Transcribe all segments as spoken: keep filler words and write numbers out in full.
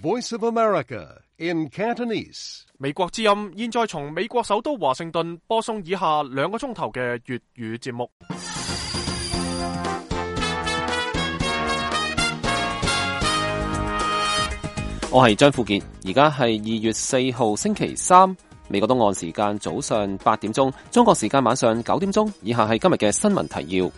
Voice of America in Cantonese。美國之音現在從美國首都華盛頓播送以下兩個鐘頭嘅粵語節目。我係張富傑，而家係二月四號星期三，美國東岸時間早上八點鐘，中國時間晚上九點鐘。以下係今日嘅新聞提要。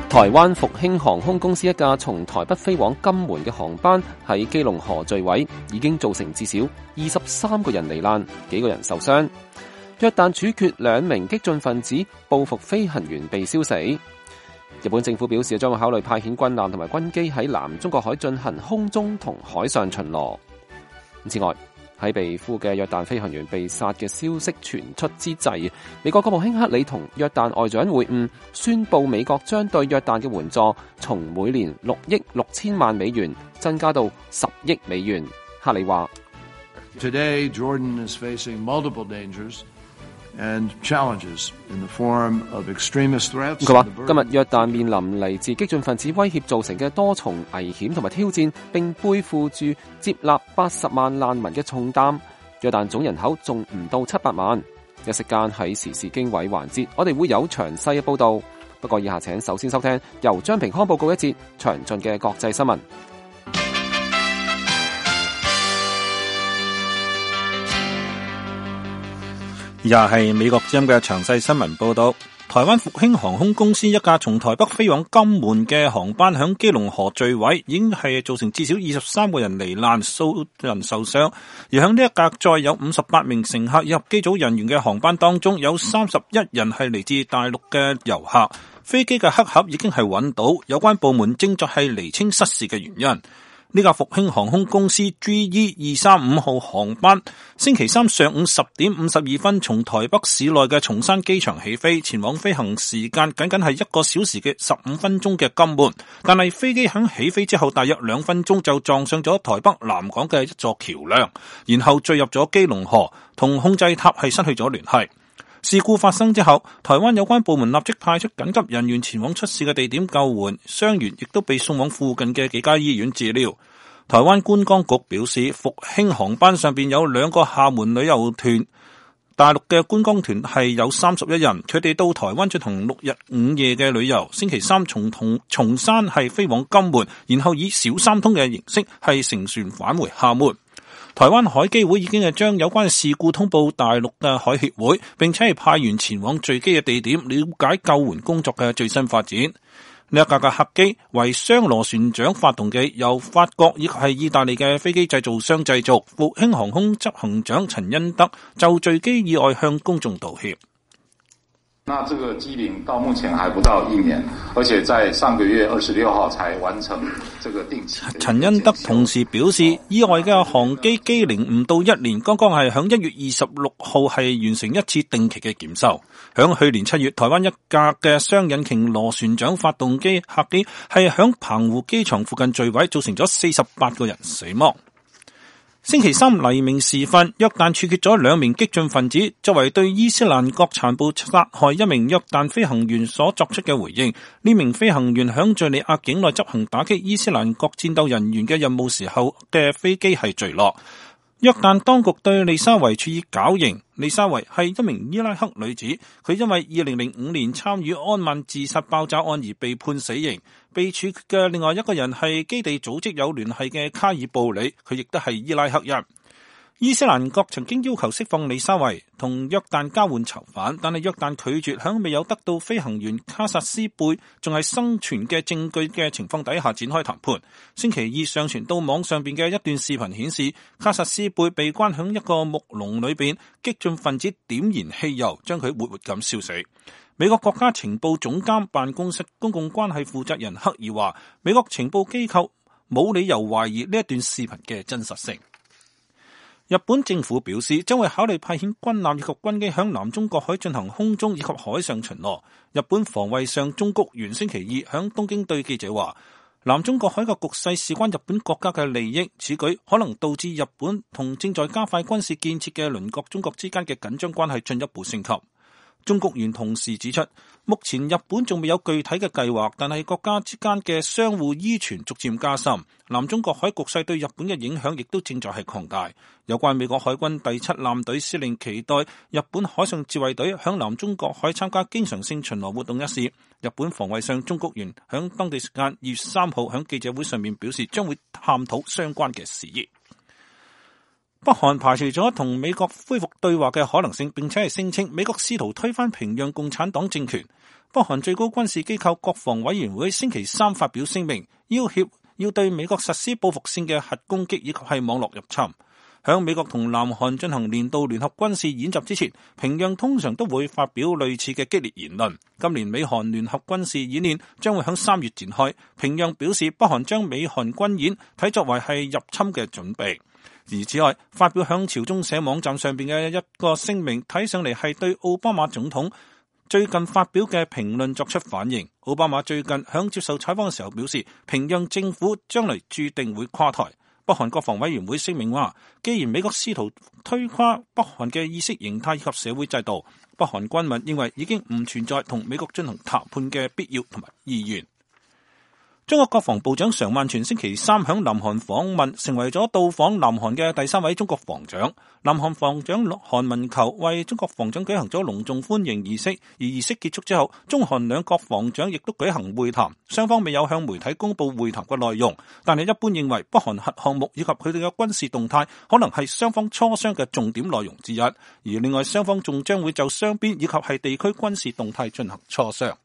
台灣復興航空公司一架從台北飛往金門嘅航班喺基隆河墜毀，已經造成至少二十三個人罹難，幾個人受傷。約旦處決兩名激進分子，報復飛行員被燒死。日本政府表示將會考慮派遣軍艦同埋軍機喺南中國海進行空中同海上巡邏。此外，喺被俘嘅約旦飛行員被殺嘅消息傳出之際，美國國務卿克里同約旦外長會晤，宣布美國將對約旦嘅援助從每年六億六千萬美元增加到十億美元。克里話 Today, Jordan is facing multiple dangers and challenges in the form of extremist threats. 佢話今日約旦面臨嚟自激進分子威脅造成嘅多重危險同埋挑戰，並背負住接納八十萬難民嘅重擔。約旦總人口仲唔到七百萬。一息間喺時事經緯環節，我哋會有詳細嘅報道。不過以下請首先收聽由張平康報告一節詳盡嘅國際新聞。以下係美國之音嘅詳細新聞報道。台灣復興航空公司一架從台北飛往金門嘅航班響基隆河墜毀，已經係造成至少二十三個人罹難，數人受傷。而響呢一架載有五十八名乘客以及機組人員嘅航班當中，有三十一人係嚟自大陸嘅遊客。飛機嘅黑盒已經係揾到，有關部門正在係釐清失事嘅原因。呢架復興航空公司 G E 二三五號航班星期三上午十點五十二分從台北市內嘅松山機場起飛，前往飛行時間僅僅係一個小時嘅十五分鐘嘅金門，但係飛機響起飛之後大約兩分鐘就撞上咗台北南港嘅一座橋樑，然後墜入咗基隆河，同控制塔係失去咗聯繫。事故發生之後，台灣有關部門立即派出緊急人員前往出事嘅地點救援，傷員亦都被送往附近嘅幾家醫院治療。台灣觀光局表示，復興航班上邊有兩個廈門旅遊團，大陸嘅觀光團係有三十一人，佢哋到台灣進行六日五夜嘅旅遊，星期三從同松山係飛往金門，然後以小三通嘅形式係乘船返回廈門。台灣海基會已經係將有關嘅事故通報大陸嘅海協會，並且係派員前往墜機嘅地點了解救援工作嘅最新發展。呢一架嘅客機為雙螺旋槳發動機，由法國以及係意大利嘅飛機製造商製造。復興航空執行長陳恩德就墜機意外向公眾道歉。那這個機齡到目前還不到一年，而且在上個月二十六號才完成這個定期。陳恩德同時表示，意外嘅航機機齡唔到一年，剛剛係響一月二十六號係完成一次定期嘅檢修。響去年七月，台灣一架嘅雙引擎螺旋槳發動機客機係響澎湖機場附近墜毀，造成咗四十八個人死亡。星期三黎明時分，約旦處決咗兩名激進分子，作為對伊斯蘭國殘暴殺害一名約旦飛行員所作出嘅回應。呢名飛行員響敘利亞境內執行打擊伊斯蘭國戰鬥人員嘅任務時候嘅飛機係墜落。約旦當局對利沙維處以絞刑。利沙維係一名伊拉克女子，佢因為二零零五年參與安曼自殺爆炸案而被判死刑。被處決嘅另外一個人係基地組織有聯繫嘅卡爾布里，佢亦都係伊拉克人。伊斯蘭國曾經要求釋放利沙維同約旦交換囚犯，但係約旦拒絕，響未有得到飛行員卡薩斯貝仲係生存嘅證據嘅情況底下展開談判。星期二上傳到網上邊嘅一段視頻顯示，卡薩斯貝被關響一個木籠裏邊，激進分子點燃汽油將佢活活咁燒死。美國國家情報總監辦公室公共關係負責人克爾話，美國情報機構冇理由懷疑呢一段視頻嘅真實性。日本政府表示將會考慮派遣軍艦以及軍機響南中國海進行空中以及海上巡邏。日本防衛相中谷元星期二響東京對記者話，南中國海嘅局勢事關日本國家嘅利益，此舉可能導致日本同正在加快軍事建設嘅鄰國中國之間嘅緊張關係進一步升級。中國元同時指出，目前日本仲未有具體嘅計劃，但係國家之間嘅相互依存逐漸加深，南中國海局勢對日本嘅影響亦都正在係擴大。有關美國海軍第七艦隊司令期待日本海上自衛隊響南中國海參加經常性巡邏活動一事，日本防衛相中谷元響當地時間二月三號響記者會上面表示，將會探討相關嘅事宜。北韓排除咗同美國恢復對話嘅可能性，並且係聲稱美國試圖推翻平壤共產黨政權。北韓最高軍事機構國防委員會星期三發表聲明，要挾要對美國實施報復性嘅核攻擊以及係網絡入侵。響美國同南韓進行年度聯合軍事演習之前，平壤通常都會發表類似嘅激烈言論。今年美韓聯合軍事演練將會響三月展開，平壤表示北韓將美韓軍演睇作為係入侵嘅準備。而此外，發表響朝中社網站上邊嘅一個聲明，睇上嚟係對奧巴馬總統最近發表嘅評論作出反應。奧巴馬最近響接受採訪嘅時候表示，平壤政府將來注定會垮台。北韓國防委員會聲明話，既然美國試圖推垮北韓嘅意識形態以及社會制度，北韓軍民認為已經唔存在同美國進行談判嘅必要同埋意願。中國國防部長常萬全星期三響南韓訪問，成為咗到訪南韓嘅第三位中國防長。南韓防長韓文球為中國防長舉行咗隆重歡迎儀式，而儀式結束之後，中韓兩國防長亦都舉行會談，雙方未有向媒體公布會談嘅內容，但係一般認為北韓核項目以及佢哋嘅軍事動態可能係雙方磋商嘅重點內容之一，而另外雙方仲將會就雙邊以及係地區軍事動態進行磋商。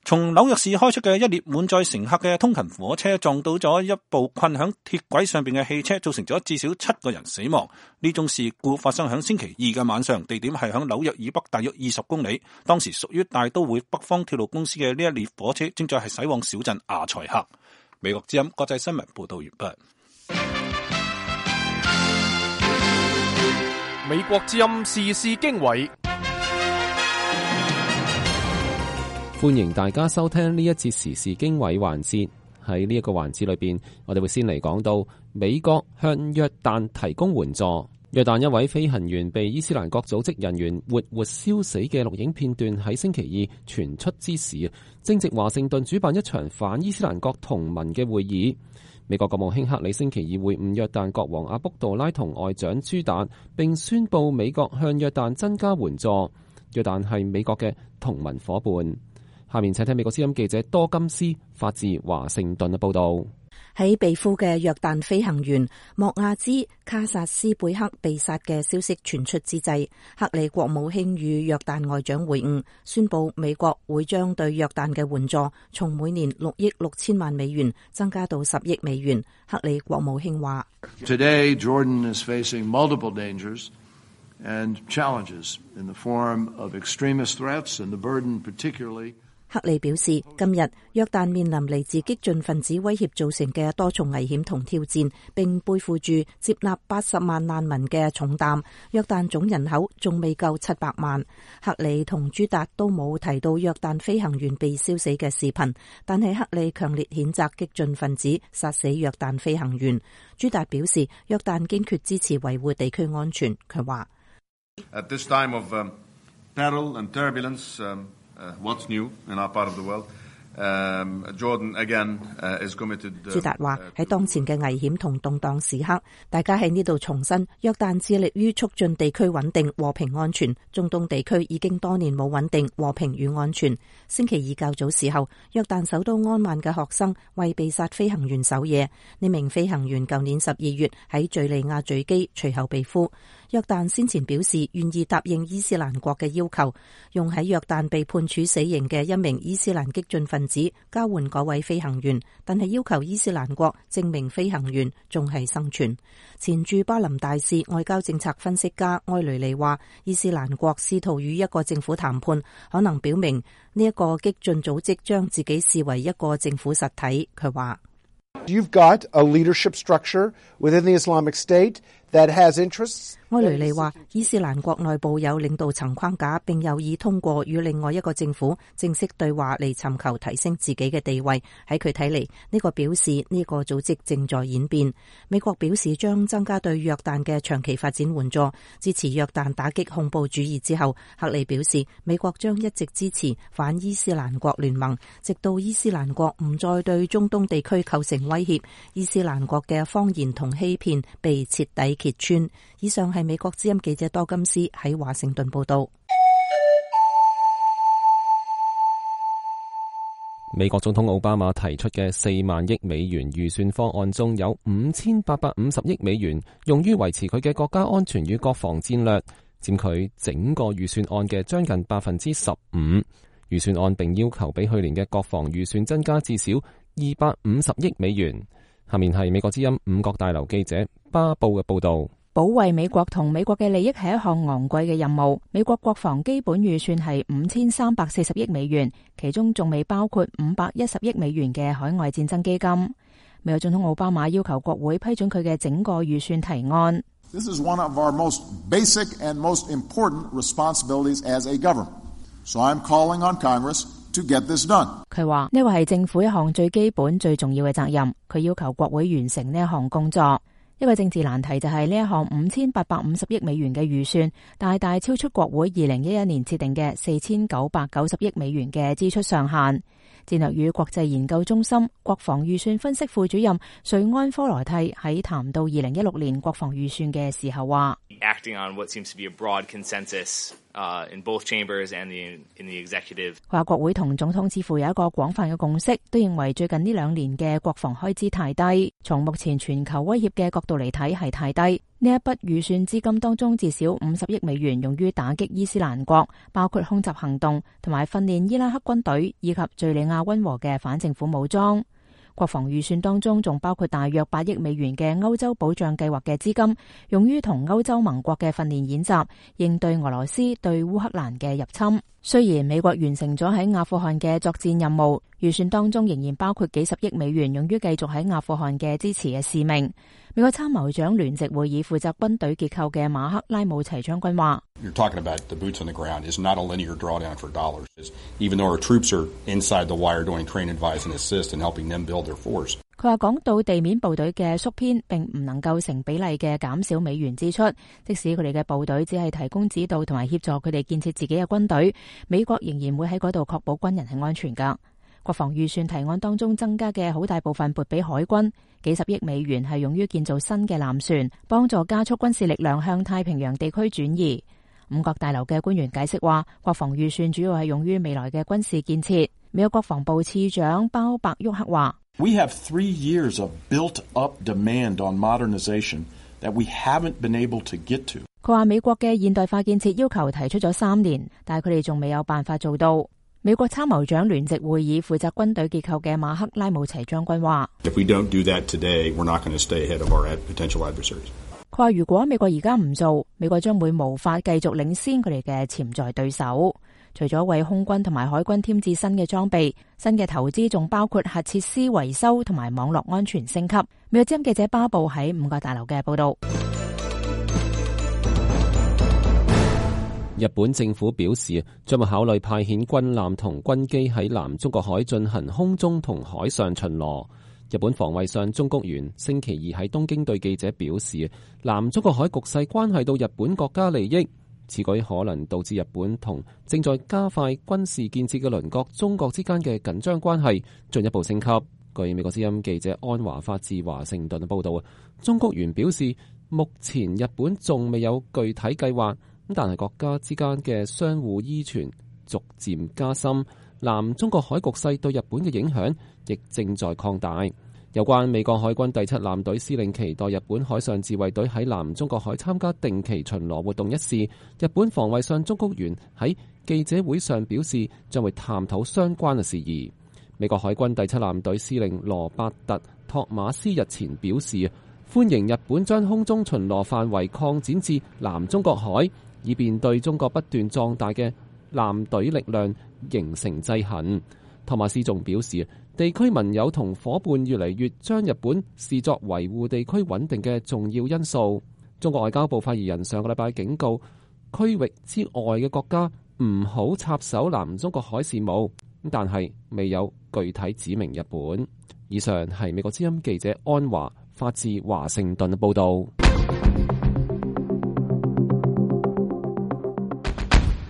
從紐約市開出嘅一列滿載乘客嘅通勤火車撞到咗一部困響鐵軌上邊嘅汽車，造成咗至少七個人死亡。呢種事故發生響星期二嘅晚上，地點係響紐約以北大約二十公里。當時屬於大都會北方鐵路公司嘅呢一列火車正在係駛往小鎮阿塞克。美國之音國際新聞報道完畢。美國之音時事經緯。歡迎大家收聽呢一節時事經緯環節。喺呢一個環節裏邊，我哋會先嚟講到美國向約旦提供援助。約旦一位飛行員被伊斯蘭國組織人員活活燒死嘅錄影片段喺星期二傳出之時，正值華盛頓主辦一場反伊斯蘭國同盟嘅會議。美國國務卿克里星期二會晤約旦國王阿卜杜拉同外長朱達，並宣布美國向約旦增加援助。約旦係美國嘅同盟夥伴。下面請聽美國之音記者多金斯發自華盛頓嘅報道。喺被俘嘅約旦飛行員莫亞茲卡薩斯貝克被殺嘅消息傳出之際，克里國務卿與約旦外長會晤，宣布美國會將對約旦嘅援助從每年六億六千萬美元增加到十億美元。克里國務卿話 Today, Jordan is facing multiple dangers and challenges in the form of extremist threats and the burden particularly克里表示，今日約旦面臨嚟自激進分子威脅造成嘅多重危險同挑戰，並背負住接納八十萬難民嘅重擔。約旦總人口仲未夠七百萬。克里同朱達都冇提到約旦飛行員被燒死嘅視頻，但係克里強烈譴責激進分子殺死約旦飛行員。朱達表示，約旦堅決支持維護地區安全。佢話：At this time of um, peril and turbulence, um, Uh, what's new in our part of the world? Um, Jordan again uh, is committed. 朱達話喺當前嘅危險同動盪時刻，大家喺呢度重申，約旦致力於促進地區穩定、和平、安全。中東地區已經多年冇穩定、和平與安全。星期二較早時候，約旦首都安曼嘅學生為被殺飛行員守夜。呢名飛行員舊年十二月喺敘利亞墜機，隨後被俘。約旦先前表示願意答應伊斯蘭國嘅要求，用喺約旦被判處死刑嘅一名伊斯蘭激進分子交換嗰位飛行員，但係要求伊斯蘭國證明飛行員仲係生存。前駐巴林大使、外交政策分析家埃雷利話，伊斯蘭國試圖與一個政府談判，可能表明呢一個激進組織將自己視為一個政府實體。佢話You've got a leadership structure within the Islamic State that has interests. 埃雷利話，伊斯蘭國內部有領導層框架，並有意通過與另外一個政府正式對話嚟尋求提升自己嘅地位。喺佢睇嚟，呢個表示呢個組織正在演變。美國表示將增加對約旦嘅長期發展援助，支持約旦打擊恐怖主義之後，克里表示美國將一直支持反伊斯蘭國聯盟，直到伊斯蘭國唔再對中東地區構成威脅，伊斯蘭國嘅謊言同欺騙被徹底揭穿。以上係美國之音記者多金斯喺華盛頓報道。美國總統奧巴馬提出嘅四萬億美元預算方案中有五千八百五十億美元用於維持佢嘅國家安全與國防戰略，佔佢整個預算案嘅將近百分之十五。預算案並要求比去年嘅國防預算增加至少二百五十億美元。下面係美國之音五角大樓記者巴布嘅報道。保衛美國同美國嘅利益係一項昂貴嘅任務。美國國防基本預算係五千三百四十億美元，其中仲未包括五百一十億美元嘅海外戰爭基金。美國總統奧巴馬要求國會批准佢嘅整個預算提案。This is one of our most basic and most important responsibilities as a government. So I'm calling on Congress to get this done. 佢話呢個係政府一項最基本、最重要嘅責任。佢要求國會完成呢一項工作。一個政治難題就係呢一項五千八百五十億美元嘅預算，大大超出國會二零一一年設定嘅四千九百九十億美元嘅支出上限。戰略與國際研究中心國防預算分析副主任瑞安科羅蒂喺談到二零一六年國防預算嘅時候話，Acting on what seems to be a broad consensus, uh, in both chambers and the, in the executive. 話國會同總統似乎有一個廣泛嘅共識，都認為最近呢兩年嘅國防開支太低，從目前全球威脅嘅角度嚟睇係太低。呢一筆預算資金當中至少五十億美元用於打擊伊斯蘭國，包括空襲行動同埋訓練伊拉克軍隊以及敘利亞溫和嘅反政府武裝。國防預算當中仲包括大約八億美元嘅歐洲保障計劃嘅資金，用於同歐洲盟國嘅訓練演習，應對俄羅斯對烏克蘭嘅入侵。雖然美國完成咗喺阿富汗嘅作戰任務，預算當中仍然包括幾十億美元用於繼續喺阿富汗嘅支持嘅使命。美國參謀長聯席會議負責軍隊結構嘅馬克拉姆齊將軍話，You're talking about the boots on the ground is not a linear drawdown for dollars. Even though our troops are inside the wire doing train, advise and assist and helping them build their force. 佢話講到地面部隊嘅縮編並唔能夠成比例嘅減少美元支出，即使佢哋嘅部隊只係提供指導同埋協助佢哋建設自己嘅軍隊，美國仍然會喺嗰度確保軍人係安全㗎。國防預算提案當中增加嘅好大部分撥俾海軍，幾十億美元係用於建造新嘅艦船，幫助加速軍事力量向太平洋地區轉移。五角大樓嘅官員解釋話，國防預算主要係用於未來嘅軍事建設。美國國防部次長鮑伯沃克話，We have three years of built-up demand on modernization that we haven't been able to get to. 佢話美國嘅現代化建設要求提出咗三年，但係佢哋仲未有辦法做到。美國參謀長聯席會議負責軍隊結構嘅馬克拉姆齊將軍話， If we don't do that today, we're not going to stay ahead of our potential adversaries. 佢話如果美國而家唔做，美國將會無法繼續領先佢哋嘅潛在對手。除咗為空軍同埋海軍添置新嘅裝備，新嘅投資仲包括核設施維修同埋網絡安全升級。美國之音記者巴布喺五角大樓嘅報道。日本政府表示，將會考慮派遣軍艦同軍機喺南中國海進行空中同海上巡邏。日本防衛相中谷元星期二喺東京對記者表示，南中國海局勢關係到日本國家利益，此舉可能導致日本同正在加快軍事建設嘅鄰國中國之間嘅緊張關係進一步升級。據美國之音記者安華發自華盛頓報道，中谷元表示，目前日本仲未有具體計劃，但係國家之間嘅相互依存逐漸加深，南中國海局勢對日本嘅影響亦正在擴大。有關美國海軍第七艦隊司令期待日本海上自衛隊喺南中國海參加定期巡邏活動一事，日本防衛相中谷元喺記者會上表示，將會探討相關嘅事宜。美國海軍第七艦隊司令羅伯特托馬斯日前表示，歡迎日本將空中巡邏範圍擴展至南中國海，以便對中國不斷壯大嘅艦隊力量形成制衡。托馬斯仲表示，地區盟友同伙伴越嚟越將日本視作維護地區穩定嘅重要因素。中國外交部發言人上個禮拜警告區域之外嘅國家唔好插手南中國海事務，但係未有具體指明日本。以上係美國之音記者安華發自華盛頓嘅報導。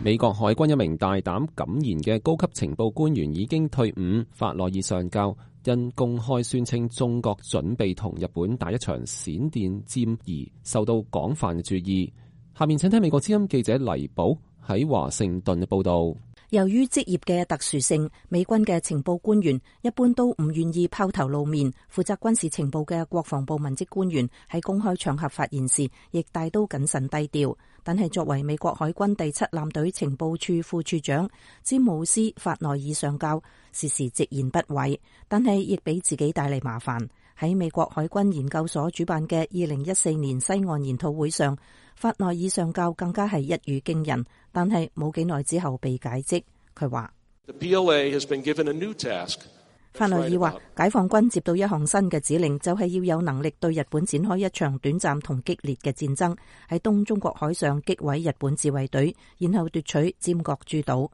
美國海軍一名大膽敢言嘅高級情報官員已經退伍，法內爾上校因公開宣稱中國準備同日本打一場閃電戰而受到廣泛嘅注意。下面請聽美國之音記者黎寶喺華盛頓嘅報導。由於職業嘅特殊性，美軍嘅情報官員一般都唔願意拋頭露面。負責軍事情報嘅國防部文職官員喺公開場合發言時，亦大都謹慎低調。但係作為美國海軍第七艦隊情報處副處長詹姆斯法內爾上校，時時直言不諱，但係亦俾自己帶嚟麻煩。喺美國海軍研究所主辦嘅二零一四年西岸研討會上，法內爾上校更加係一語驚人，但係冇幾耐之後被解職。佢話法內爾話，解放軍接到一項新嘅指令，就係要有能力對日本展開一場短暫同激烈嘅戰爭，喺東中國海上擊毀日本自衛隊，然後奪取尖閣諸島。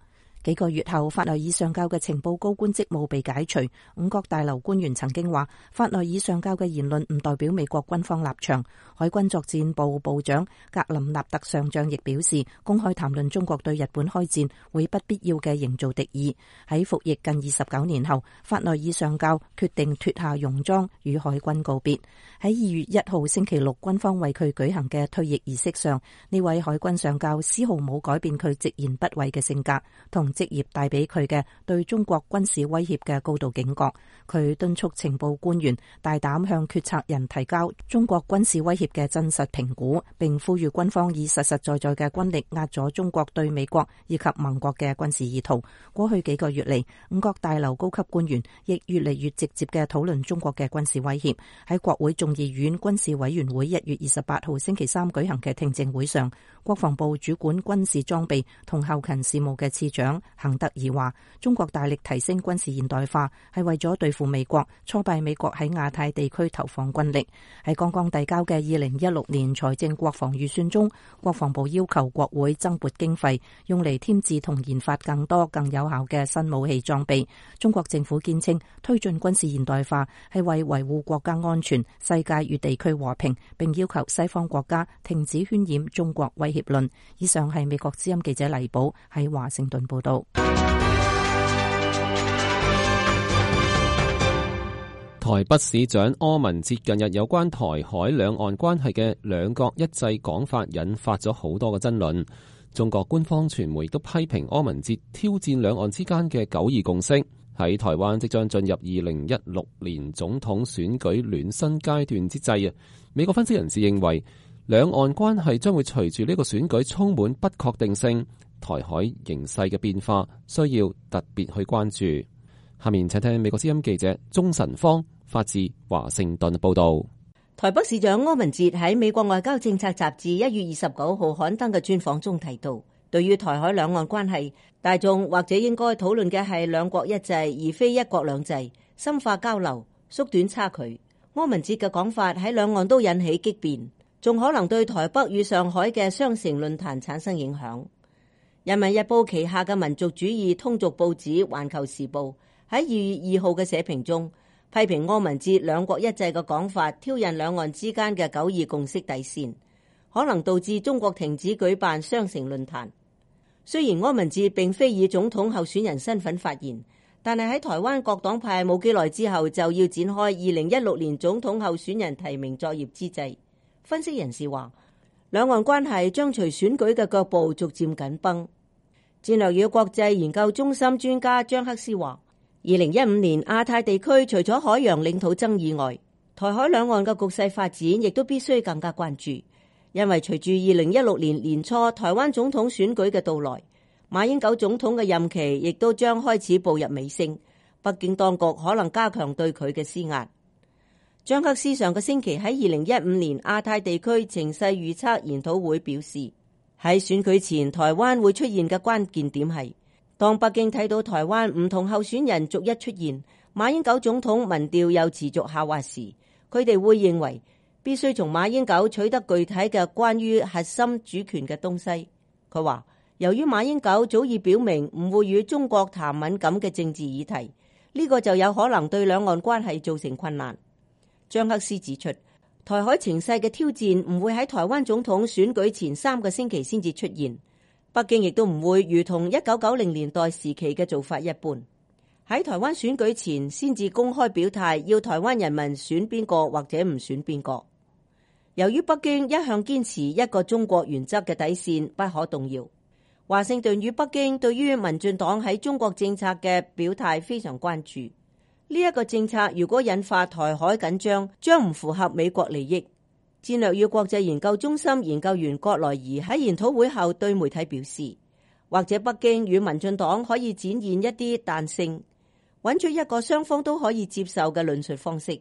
幾個月後，法內爾上校嘅情報高官職務被解除。五角大樓官員曾經話，法內爾上校嘅言論唔代表美國軍方立場。海軍作戰部部長格林納特上將亦表示，公開談論中國對日本開戰會不必要嘅營造敵意。喺服役近二十九年後，法內爾上校決定脫下戎裝與海軍告別。喺二月一號星期六，軍方為佢舉行嘅退役儀式上，呢位海軍上校絲毫冇改變佢直言不諱嘅性格同職業帶俾佢嘅對中國軍事威脅嘅高度警覺。佢敦促情報官員大膽向決策人提交中國軍事威脅嘅真實評估，並呼籲軍方以實實在在嘅軍力壓咗中國對美國以及盟國嘅軍事意圖。過去幾個月嚟，五角大樓高級官員亦越嚟越直接嘅討論中國嘅軍事威脅。喺國會眾議院軍事委員會一月二十八號星期三舉行嘅聽證會上，國防部主管軍事裝備同後勤事務嘅次長彭德爾話，中國大力提升軍事現代化係為咗對付美國，挫敗美國喺亞太地區投放軍力。喺剛剛遞交嘅二零一六年財政國防預算中，國防部要求國會增撥經費，用嚟添置同研發更多更有效嘅新武器裝備。中國政府堅稱，推進軍事現代化係為維護國家安全、世界與地區和平，並要求西方國家停止渲染中國威脅論。以上係美國之音記者黎寶喺華盛頓報道。台北市長柯文哲近日有關台海兩岸關係嘅兩國一制講法引發咗好多嘅爭論。中國官方傳媒都批評柯文哲挑戰兩岸之間嘅九二共識。喺台灣即將進入二零一六年總統選舉暖身階段之際啊，美國分析人士認為兩岸關係將會隨住呢個選舉充滿不確定性，台海形勢嘅變化需要特別去關注。下面請聽美國之音記者鍾晨芳發自華盛頓報道。台北市長柯文哲喺美國外交政策雜誌一月二十九號刊登嘅專訪中提到，對於台海兩岸關係，大眾或者應該討論嘅係兩國一制，而非一國兩制，深化交流，縮短差距。柯文哲嘅講法喺兩岸都引起激辯，仲可能對台北與上海嘅雙城論壇產生影響。人民日報旗下嘅民族主義通俗報紙《環球時報》喺二月二號嘅社評中，批評柯文哲兩國一制嘅講法挑釁兩岸之間嘅九二共識底線，可能導致中國停止舉辦雙城論壇。雖然柯文哲並非以總統候選人身份發言，但係喺台灣各黨派冇幾耐之後就要展開二零一六年總統候選人提名作業之際，分析人士話，兩岸關係將隨選舉嘅腳步逐漸緊繃。戰略與國際研究中心專家張克斯話，二零一五年亞太地區除咗海洋領土爭議外，台海兩岸嘅局勢發展亦都必須更加關注，因為隨住二零一六年年初台灣總統選舉嘅到來，馬英九總統嘅任期亦都將開始步入尾聲，北京當局可能加強對佢嘅施壓。張克斯上個星期喺二零一五年亞太地區情勢預測研討會表示，喺選舉前台灣會出現嘅關鍵點係，當北京睇到台灣唔同候選人逐一出現，馬英九總統民調又持續下滑時，佢哋會認為必須從馬英九取得具體嘅關於核心主權嘅東西。佢話，由於馬英九早已表明唔會與中國談敏感嘅政治議題，呢個就有可能對兩岸關係造成困難。張克思指出，台海情勢嘅挑戰唔會喺台灣總統選舉前三個星期先至出現，北京亦都唔會如同一九九零年代時期嘅做法一般，喺台灣選舉前先至公開表態要台灣人民選邊個或者唔選邊個。由於北京一向堅持一個中國原則嘅底線不可動搖，華盛頓與北京對於民進黨喺中國政策嘅表態非常關注。呢一個政策如果引發台海緊張，將唔符合美國利益。戰略與國際研究中心研究員郭來儀喺研討會後對媒體表示，或者北京與民進黨可以展現一啲彈性，揾出一個雙方都可以接受嘅論述方式。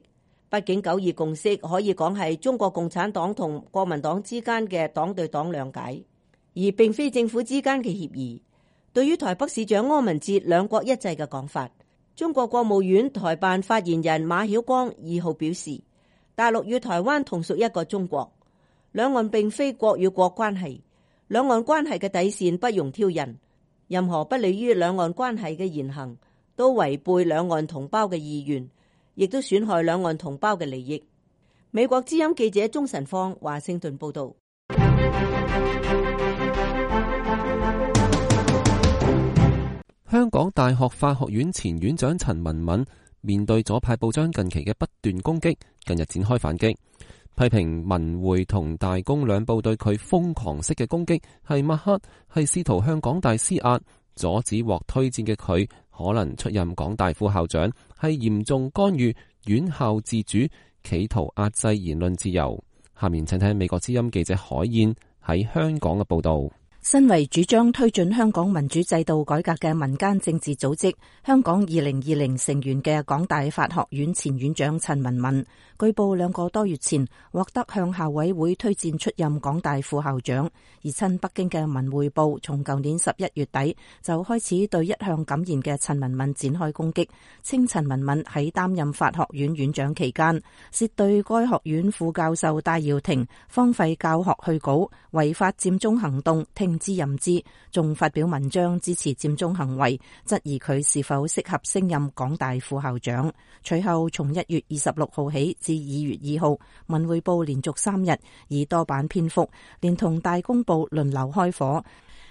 畢竟九二共識可以講係中國共產黨同國民黨之間嘅黨對黨諒解，而並非政府之間嘅協議。對於台北市長柯文哲兩國一制嘅講法，中國國務院台辦發言人馬曉光二號表示，大陸與台灣同屬一個中國，兩岸並非國與國關係，兩岸關係嘅底線不容挑釁，任何不利於兩岸關係嘅言行都違背兩岸同胞嘅意願，亦都損害兩岸同胞嘅利益。美國之音記者鍾晨芳華盛頓報道。香港大學法學院前院長陳文敏面對左派報章近期嘅不斷攻擊，近日展開反擊，批評文匯同大公兩報對佢瘋狂式嘅攻擊係抹黑，係試圖向港大施壓，阻止獲推薦嘅佢可能出任港大副校長，係嚴重干預院校自主，企圖壓制言論自由。下面請聽美國之音記者海燕喺香港嘅報道。身為主張推進香港民主制度改革嘅民間政治組織香港二零二零成員嘅港大法學院前院長陳文敏，據報兩個多月前獲得向校委會推薦出任港大副校長，而親北京嘅文匯報從舊年十一月底就開始對一向敢言嘅陳文敏展開攻擊，稱陳文敏喺擔任法學院院長期間，涉對該學院副教授戴耀廷荒廢教學去稿、違法佔中行動聽之任之，仲發表文章支持佔中行為，質疑佢是否適合升任港大副校長。隨後從一月二十六號起至二月二號，文匯報連續三日以多版篇幅，連同大公報輪流開火，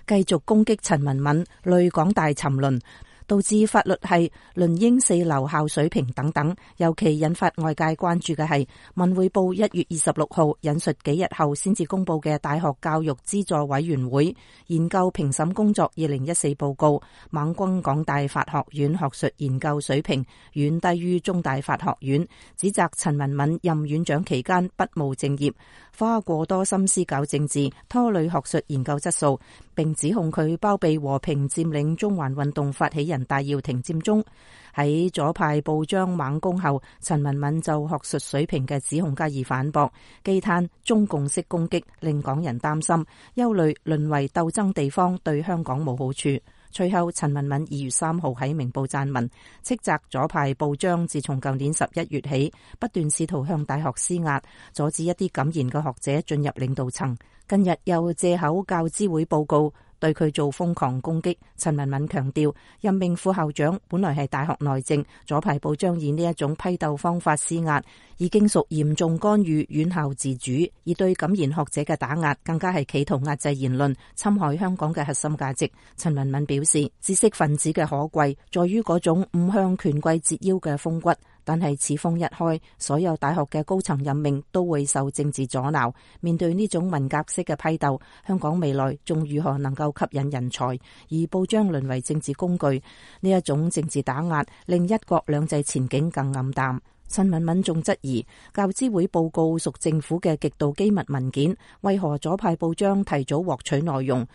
繼續攻擊陳文敏，累港大沉淪，導致法律系淪英四流校水平等等。尤其引發外界關注嘅係文匯報一月二十六號引述幾日後先至公布嘅大學教育資助委員會研究評審工作二零一四報告，猛攻港大法學院學術研究水平遠低於中大法學院，指責陳文敏任院長期間不務正業，花過多心思搞政治，拖累學術研究質素，並指控佢包庇和平佔領中環運動發起人戴耀廷佔中。喺左派報章猛攻後，陳文敏就學術水平嘅指控加以反駁，忌嘆中共式攻擊令港人擔心，憂慮淪為鬥爭地方對香港冇好處。隨後，陳文敏二月三號喺明報撰文，斥責左派報章自從舊年十一月起，不斷試圖向大學施壓，阻止一啲敢言嘅學者進入領導層。近日又借口教資會報告對佢做瘋狂攻擊。陳文敏強調，任命副校長本來係大學內政，左派報章以呢一種批鬥方法施壓，已經屬嚴重干預院校自主，而對敢言學者嘅打壓更加係企圖壓制言論，侵害香港嘅核心價值。陳文敏表示，知識分子嘅可貴在於嗰種唔向權貴折腰嘅風骨，但係此風一開，所有大學嘅高層任命都會受政治阻撓。面對呢種文革式嘅批鬥，香港未來仲如何能夠吸引人才？而報章淪為政治工具，呢一種政治打壓令一國兩制前景更暗淡。陳文敏仲質疑教資會報告屬政府嘅極度機密文件，為何左派報章提早獲取內容？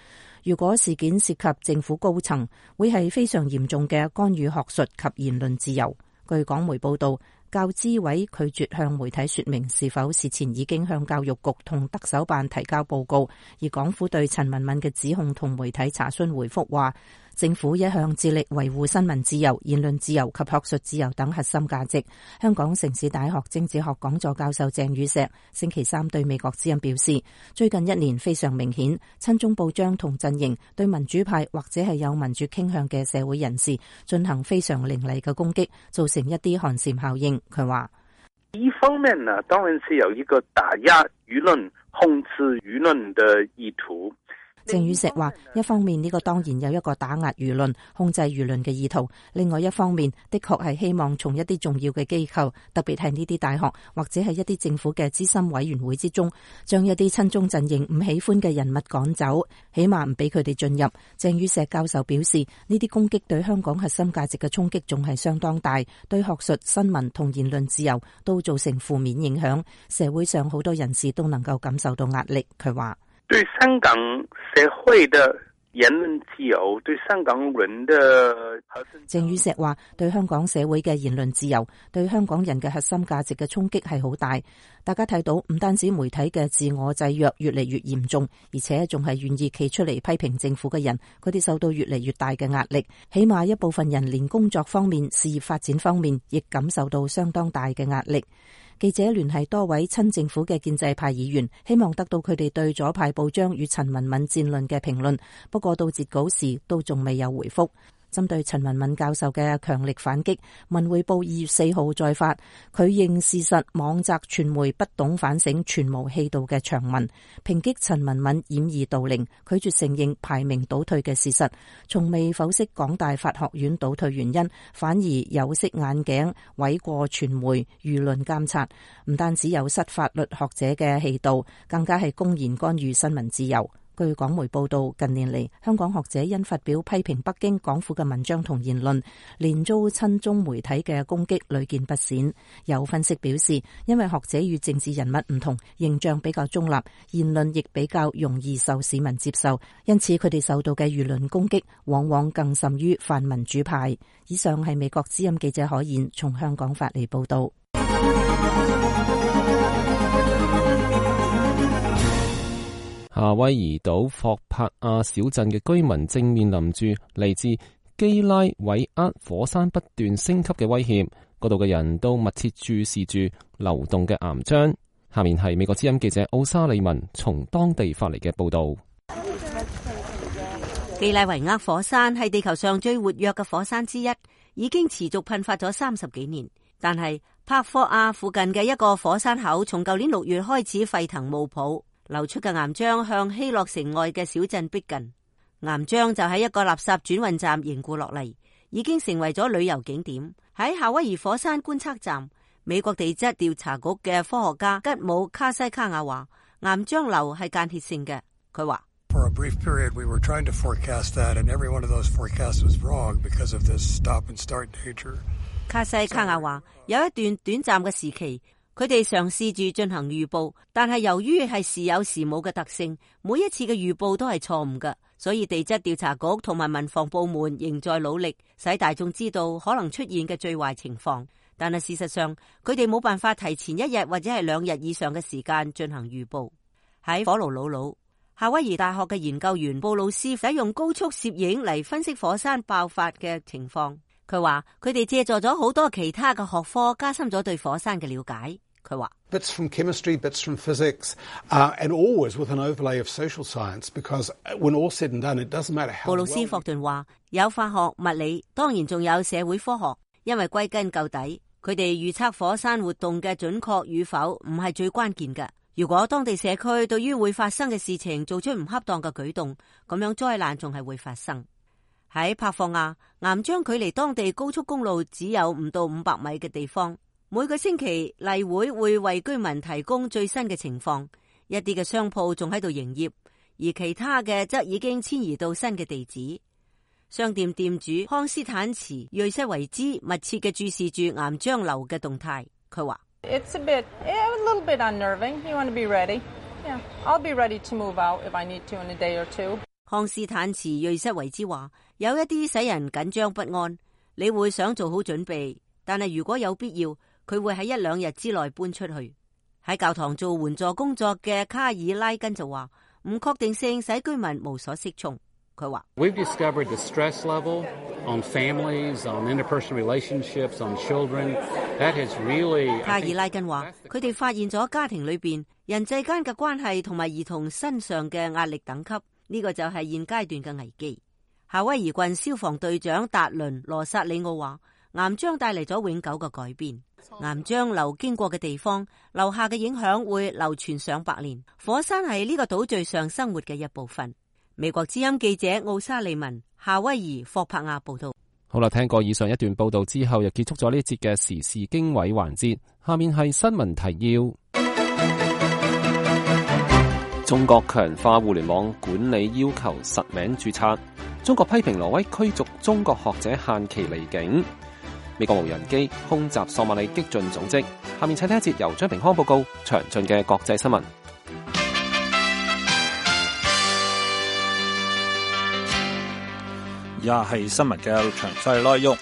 如果事件涉及政府高層，會係非常嚴重嘅干預學術及言論自由。據港媒報道，教資委拒絕向媒體說明是否事前已經向教育局同特首辦提交報告，而港府對陳文敏嘅指控同媒體查詢回覆話，政府一向致力維護新聞自由、言論自由及學術自由等核心價值。香港城市大學政治學講座教授鄭宇碩星期三對美國之音表示，最近一年非常明顯，親中報章同陣營對民主派或者係有民主傾向嘅社會人士進行非常凌厲嘅攻擊，造成一啲寒蟬效應。佢話：一方面呢，當然是有一個打壓輿論、控制輿論的意圖。鄭宇碩話：一方面呢個當然有一個打壓輿論、控制輿論嘅意圖；另外一方面，的確係希望從一啲重要嘅機構，特別係呢啲大學或者係一啲政府嘅資深委員會之中，將一啲親中陣營唔喜歡嘅人物趕走，起碼唔俾佢哋進入。鄭宇碩教授表示，呢啲攻擊對香港核心價值嘅衝擊仲係相當大，對學術、新聞同言論自由都造成負面影響，社會上好多人士都能夠感受到壓力。佢話：對香港社會的言論自由，對香港人的鄭宇碩話：對香港社會嘅言論自由，對香港人嘅核心價值嘅衝擊係好大。大家睇到，唔單止媒體嘅自我制約越嚟越嚴重，而且仲係願意企出嚟批評政府嘅人，佢哋受到越嚟越大嘅壓力。起碼一部分人連工作方面、事業發展方面，亦感受到相當大嘅壓力。記者聯繫多位親政府嘅建制派議員，希望得到佢哋對左派報章與陳文敏戰論嘅評論，不過到截稿時都仲未有回覆。針對陳文敏教授嘅強力反擊，文匯報二月四號再發佢認事實網摘傳媒不懂反省、全無氣度嘅長文，抨擊陳文敏掩耳盜鈴，拒絕承認排名倒退嘅事實，從未剖析港大法學院倒退原因，反而有色眼鏡諉過傳媒輿論監察，唔單止有失法律學者嘅氣度，更加係公然干預新聞自由。據港媒報道，近年嚟香港學者因發表批評北京港府嘅文章同言論，連遭親中媒體嘅攻擊屢見不鮮。有分析表示，因為學者與政治人物唔同，形象比較中立，言論亦比較容易受市民接受，因此佢哋受到嘅輿論攻擊往往更甚於泛民主派。以上係美國之音記者可燕從香港發嚟報道。夏威夷島霍帕亞小鎮嘅居民正面臨住嚟自基拉韋厄火山不斷升級嘅威脅，嗰度嘅人都密切注視住流動嘅岩漿。下面係美國之音記者奧沙利文從當地發嚟嘅報道。基拉韋厄火山係地球上最活躍嘅火山之一，已經持續噴發咗三十幾年。但係帕霍亞附近嘅一個火山口，從舊年六月開始沸騰冒泡。流出嘅岩漿向希洛城外嘅小鎮逼近，岩漿就喺一個垃圾轉運站凝固落嚟，已經成為咗旅遊景點。喺夏威夷火山觀測站，美國地質調查局嘅科學家吉姆卡西卡亞話，岩漿流係間歇性嘅。佢話For a brief period, we were trying to forecast that, and every one of those forecasts was wrong because of this stop and start nature. 卡西卡亞話，有一段短暫嘅時期，佢哋嘗試住進行預報，但係由於係時有時冇嘅特性，每一次嘅預報都係錯誤嘅，所以地質調查局同埋民防部門仍在努力，使大眾知道可能出現嘅最壞情況。但係事實上，佢哋冇辦法提前一日或者係兩日以上嘅時間進行預報。喺火爐魯魯，夏威夷大學嘅研究員布魯斯使用高速攝影嚟分析火山爆發嘅情況。佢話佢哋借助咗好多其他嘅學科，加深咗對火山嘅了解。佢話 Bits from chemistry, bits from physics, uh, and always with an overlay of social science, because when all said and done, it doesn't matter how well... 布魯斯霍頓話有化學、物理，當然仲有社會科學，因為歸根究底，佢哋預測火山活動嘅準確與否唔係最關鍵嘅。如果當地社區對於會發生嘅事情做出唔恰當嘅舉動，咁樣災難仲係會發生。喺帕霍亞，岩漿距離當地高速公路只有唔到五百米嘅地方。每個星期例會會為居民提供最新嘅情況，一啲嘅商鋪仲喺度營業，而其他嘅則已經遷移到新嘅地址。商店店主康斯坦茨瑞西維茲密切嘅注視住岩漿流嘅動態。佢話 It's a bit, a little bit unnerving. You want to be ready? Yeah, I'll be ready to move out if I need to in a day or two. 康斯坦茨瑞西維茲話，有一啲使人緊張不安，你會想做好準備，但係如果有必要，佢會喺一兩日之內搬出去。喺教堂做援助工作嘅卡爾拉根就話，唔確定性使居民無所適從。佢話 We've discovered the stress level on families, on interpersonal relationships, on children. That has really. 卡爾拉根話，佢哋發現咗家庭裏邊人際間嘅關係同埋兒童身上嘅壓力等級，呢個就係現階段嘅危機。夏威夷郡消防隊長達倫羅薩里奧話，岩漿帶嚟咗永久嘅改變。岩漿流經過嘅地方留下嘅影響會流傳上百年。火山係呢個島嶼上生活嘅一部分。美國之音記者奧沙利文，夏威夷霍柏亞報道。好啦，聽過以上一段報道之後，又結束咗呢一節嘅時事經緯環節。下面係新聞提要。中國強化互聯網管理要求實名註冊。中國批評挪威驅逐中國學者限期離境。美國無人機空襲索馬里激進組織。下面請聽一節由張平康報告詳盡嘅國際新聞。以下係新聞嘅詳細內容。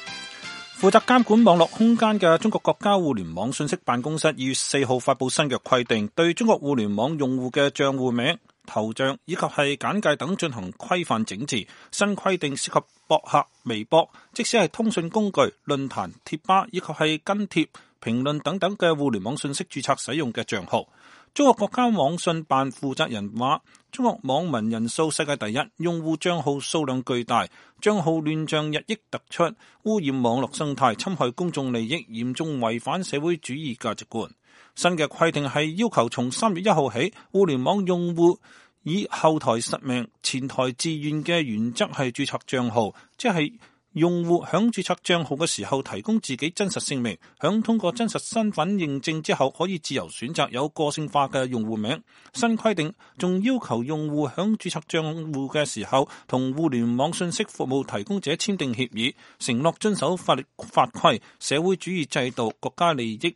負責監管網絡空間嘅中國國家互聯網信息辦公室二月四號發佈新嘅規定，對中國互聯網用戶嘅賬戶名、頭像以及係簡介等進行規範整治。新規定涉及博客、微博，即使係通訊工具、論壇、貼吧以及係跟貼、評論等等嘅互聯網信息註冊使用嘅賬號。中國國家網信辦負責人話，中國網民人數世界第一，用戶賬號數量巨大，賬號亂象日益突出，污染網絡生態，侵害公眾利益，嚴重違反社會主義價值觀。新嘅規定係要求從三月一號起，互聯網用戶以後台實名、前台自願嘅原則係註冊賬號，即係用戶響註冊賬號嘅時候提供自己真實姓名，響通過真實身份認證之後，可以自由選擇有個性化嘅用戶名。新規定仲要求用戶響註冊賬戶嘅時候，同互聯網信息服務提供者簽訂協議，承諾遵守法律法規、社會主義制度、國家利益、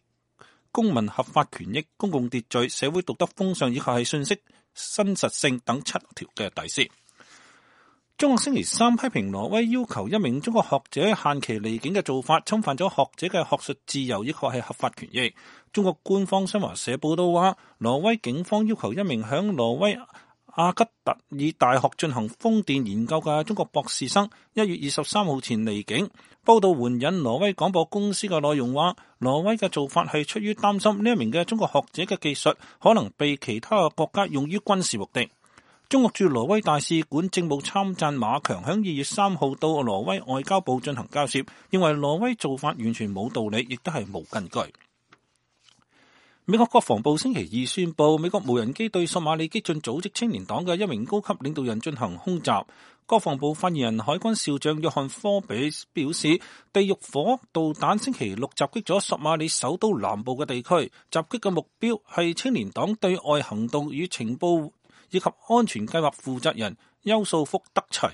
公民合法權益、公共秩序、社會道德風尚以及係信息真實性等七條嘅底線。中國星期三批評挪威要求一名中國學者限期離境嘅做法，侵犯咗學者嘅學術自由，以及係合法權益。中國官方新華社報道話，挪威警方要求一名響挪威阿吉特爾大學進行風電研究嘅中國博士生，一月二十三號前離境。報道援引挪威廣播公司嘅內容話，挪威嘅做法係出於擔心呢一名嘅中國學者嘅技術可能被其他嘅國家用於軍事目的。中國駐挪威大使館政務參贊馬強響二月三號到挪威外交部進行交涉，認為挪威做法完全冇道理，亦都係冇根據。美國國防部星期二宣布，美國無人機對索馬里激進組織青年黨嘅一名高級領導人進行空襲。國防部發言人海軍少將約翰科比表示，地獄火導彈星期六襲擊咗索馬里首都南部嘅地區，襲擊嘅目標係青年黨對外行動與情報以及安全計劃負責人邱素福德齊。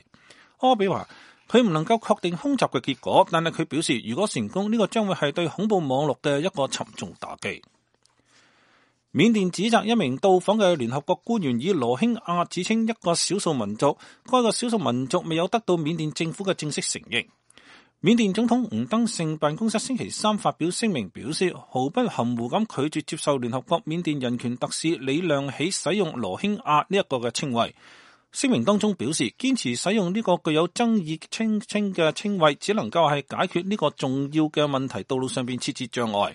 柯比話佢唔能夠確定空襲嘅結果，但係佢表示如果成功，呢個將會係對恐怖網絡嘅一個沉重打擊。緬甸指責一名到訪嘅聯合國官員以羅興亞指稱一個少數民族，該個少數民族未有得到緬甸政府嘅正式承認。緬甸總統吳登盛辦公室星期三發表聲明表示，毫不含糊咁拒絕接受聯合國緬甸人權特使李亮喜使用羅興亞呢一個嘅稱謂。聲明當中表示，堅持使用呢個具有爭議稱稱嘅稱謂，只能夠係解決呢個重要嘅問題道路上邊設置障礙。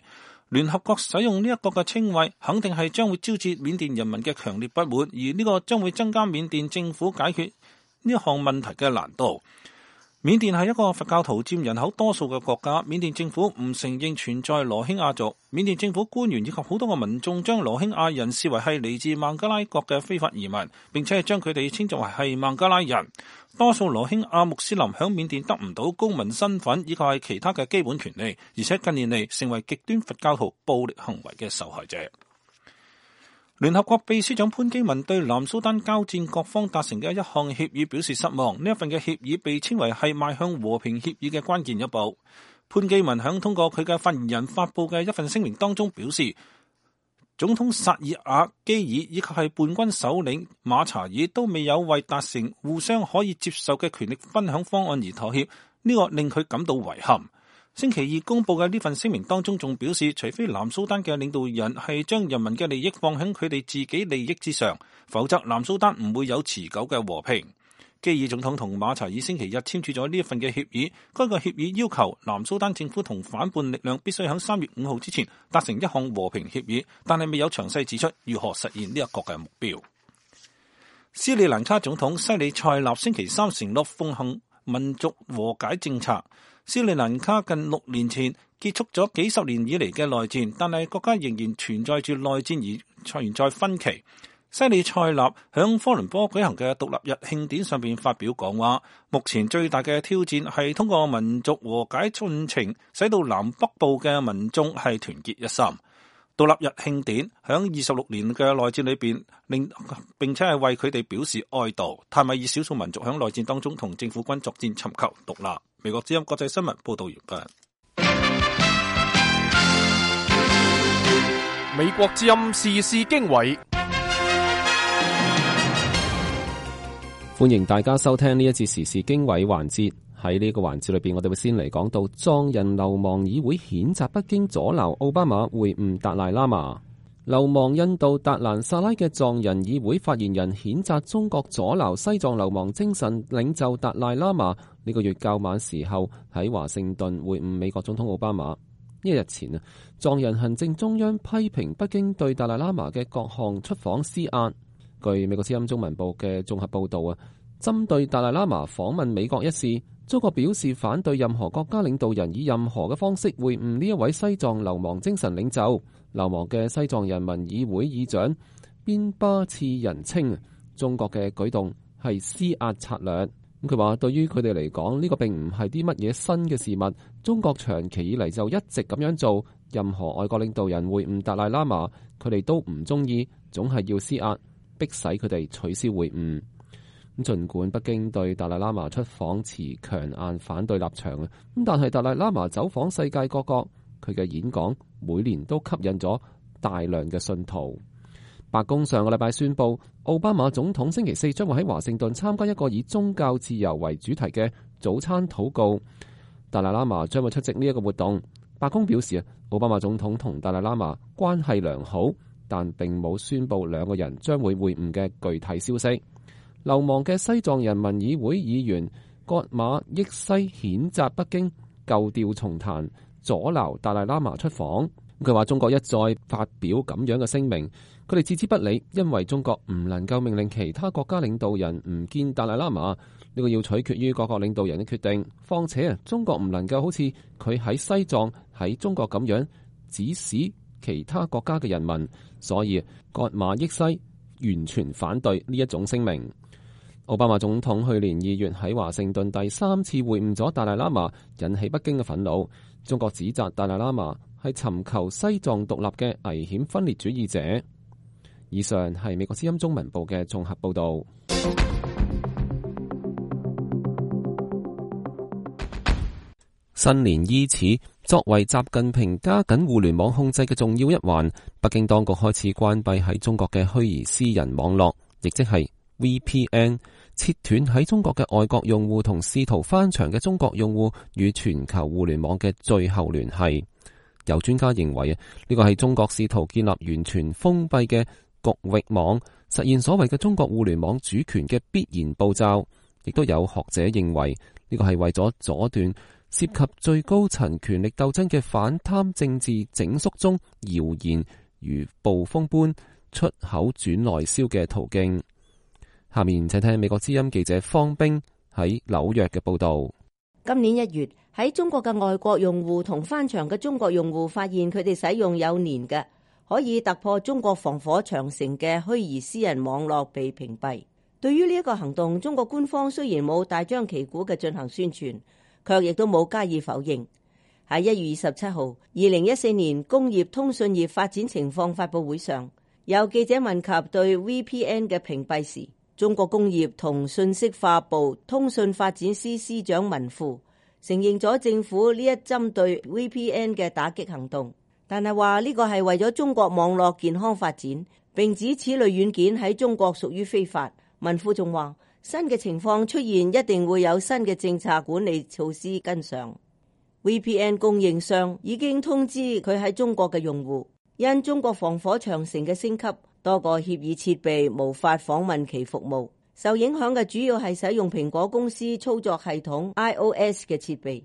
聯合國使用呢一個嘅稱謂，肯定係將會招致緬甸人民嘅強烈不滿，而呢個將會增加緬甸政府解決呢項問題嘅難度。緬甸係一個佛教徒佔人口多數嘅國家，緬甸政府唔承認存在羅興亞族。緬甸政府官員以及好多個民眾將羅興亞人視為係嚟自孟加拉國嘅非法移民，並且係將佢哋稱作為係孟加拉人。多數羅興亞穆斯林響緬甸得唔到公民身份以及係其他嘅基本權利，而且近年嚟成為極端佛教徒暴力行為嘅受害者。聯合國秘書長潘基文對南蘇丹交戰各方達成嘅一項協議表示失望，呢一份嘅協議被稱為係邁向和平協議嘅關鍵一步。潘基文響通過佢嘅發言人發佈嘅一份聲明當中表示，總統薩爾瓦基爾以及係叛軍首領馬查爾都未有為達成互相可以接受嘅權力分享方案而妥協，呢個令佢感到遺憾。星期二公布嘅呢份聲明當中仲表示，除非南蘇丹嘅領導人係將人民嘅利益放喺佢哋自己利益之上，否則南蘇丹唔會有持久嘅和平。基爾總統同馬查爾星期日簽署咗呢一份嘅協議，該個協議要求南蘇丹政府同反叛力量必須喺三月五號之前達成一項和平協議，但係未有詳細指出如何實現呢一個嘅目標。斯里蘭卡總統西里塞納星期三承諾奉行民族和解政策。斯里蘭卡近六年前結束咗幾十年以嚟嘅內戰，但係國家仍然存在住內戰而存在分歧。西里塞納響科倫坡舉行嘅獨立日慶典上邊發表講話，目前最大嘅挑戰係通過民族和解進程，使到南北部嘅民眾係團結一心。獨立日慶典響二十六年嘅內戰裏邊，令並且係為佢哋表示哀悼。泰米爾少數民族響內戰當中同政府軍作戰，尋求獨立。美國之音國際新聞報道完畢。美國之音時事經緯，歡迎大家收聽呢一節時事經緯環節。喺呢個環節裏邊，我哋會先嚟講到藏人流亡議會譴責北京阻撓奧巴馬會晤達賴喇嘛。流亡印度達蘭薩拉嘅藏人議會發言人譴責中國阻撓西藏流亡精神領袖達賴喇嘛呢個月較晚時候喺華盛頓會晤美國總統奧巴馬。一日前啊，藏人行政中央批評北京對達賴喇嘛嘅各項出訪施壓。據美國之音中文部嘅綜合報道啊，針對達賴喇嘛訪問美國一事，中國表示反對任何國家領導人以任何嘅方式會晤呢一位西藏流亡精神領袖。流亡嘅西藏人民議會議長邊巴次仁稱，中國嘅舉動係施壓策略。咁佢話，對於佢哋嚟講，呢個並唔係啲乜嘢新嘅事物。中國長期以嚟就一直咁樣做，任何外國領導人會晤達賴喇嘛，佢哋都唔中意，總係要施壓，迫使佢哋取消會晤。咁儘管北京對達賴喇嘛出訪持強硬反對立場啊，咁但係達賴喇嘛走訪世界各國，佢嘅演講每年都吸引咗大量嘅信徒。白宮上個禮拜宣布，奧巴馬總統星期四將會喺華盛頓參加一個以宗教自由為主題嘅早餐禱告。達賴喇嘛將會出席呢一個活動。白宮表示啊，奧巴馬總統同達賴喇嘛關係良好，但並冇宣布兩個人將會會晤嘅具體消息。流亡嘅西藏人民議會議員葛馬益西譴責北京舊調重彈，阻撓達賴喇嘛出訪。佢話中國一再發表咁樣嘅聲明，佢哋置之不理，因為中國唔能夠命令其他國家領導人唔見達賴喇嘛，呢個要取決於各國領導人嘅決定。況且啊，中國唔能夠好似佢喺西藏喺中國咁樣指使其他國家嘅人民，所以葛馬益西完全反對呢一種聲明。奧巴馬總統去年二月喺華盛頓第三次會晤咗達賴喇嘛，引起北京嘅憤怒。中國指責達賴喇嘛係尋求西藏獨立嘅危險分裂主義者。以上係美國之音中文部嘅綜合報道。新年伊始，作為習近平加緊互聯網控制嘅重要一環，北京當局開始關閉喺中國嘅虛擬私人網絡，亦即係 V P N， 切斷喺中國嘅外國用戶同試圖翻牆嘅中國用戶與全球互聯網嘅最後聯繫。有專家認為啊，呢個係中國試圖建立完全封閉嘅局域網，實現所謂嘅中國互聯網主權嘅必然步驟。亦都有學者認為呢個係為咗阻斷涉及最高層權力鬥爭嘅反貪政治整肅中謠言如暴風般出口轉內銷嘅途徑。下面請聽美國之音記者方冰喺紐約嘅報道。今年一月，喺中國嘅外國用戶同翻牆嘅中國用戶發現佢哋使用有年嘅可以突破中國防火長城嘅虛擬私人網絡被屏蔽。對於呢一個行動，中國官方雖然冇大張旗鼓嘅進行宣傳，卻亦都冇加以否認。喺一月二十七號，二零一四年工業通訊業發展情況發佈會上，有記者問及對 V P N 嘅屏蔽時，中國工業同信息化部通訊發展司司長文富承認咗政府呢一針對 V P N 嘅打擊行動，但係話呢個係為咗中國網絡健康發展，並指此類軟件喺中國屬於非法。文富仲話，新嘅情況出現一定會有新嘅政策管理措施跟上。V P N 供應商已經通知佢喺中國嘅用戶，因中國防火長城嘅升級，多個協議設備無法訪問其服務，受影響嘅主要係使用蘋果公司操作系統 iOS 嘅設備。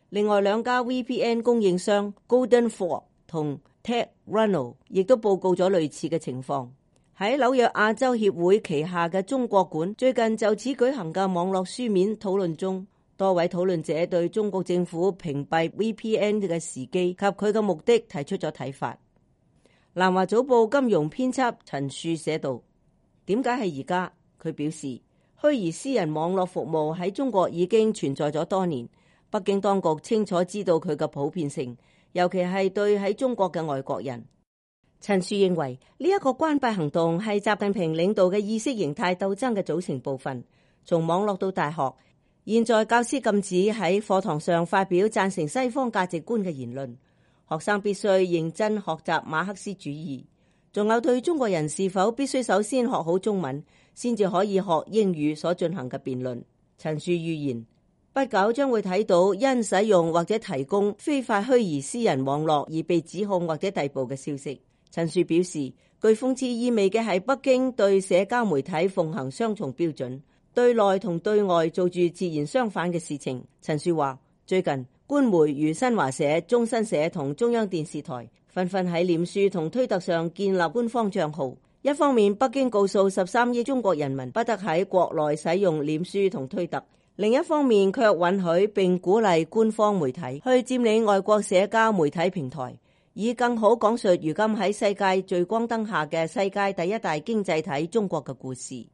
另外兩家 V P N 供應商 Golden Ford 同 TechRuno 亦都報告咗類似嘅情況。喺紐約亞洲協會旗下嘅中國館最近就此舉行嘅網絡書面討論中，多位討論者對中國政府屏蔽 V P N 嘅時機及佢嘅目的提出咗睇法。南華早報金融編輯陳樹寫道：點解係而家？佢表示，虛擬私人網絡服務喺中國已經存在咗多年，北京當局清楚知道佢嘅普遍性，尤其係對喺中國嘅外國人。陳樹認為呢一個關閉行動係習近平領導嘅意識形態鬥爭嘅組成部分。從網絡到大學，現在教師禁止喺課堂上發表贊成西方價值觀嘅言論，學生必須認真學習馬克思主義，仲有對中國人是否必須首先學好中文先至可以學英語所進行嘅辯論。陳樹預言，不久將會睇到因使用或者提供非法虛擬私人網絡而被指控或者逮捕嘅消息。陳樹表示，具諷刺意味嘅係北京對社交媒體奉行雙重標準，對內同對外做住截然相反嘅事情。陳樹話，最近官媒如新華社、中新社同中央電視台紛紛喺臉書同推特上建立官方賬號。一方面，北京告訴十三億中國人民不得喺國內使用臉書同推特；另一方面，卻允許並鼓勵官方媒體去佔領外國社交媒體平台，以更好講述如今喺世界聚光燈下嘅世界第一大經濟體中國嘅故事。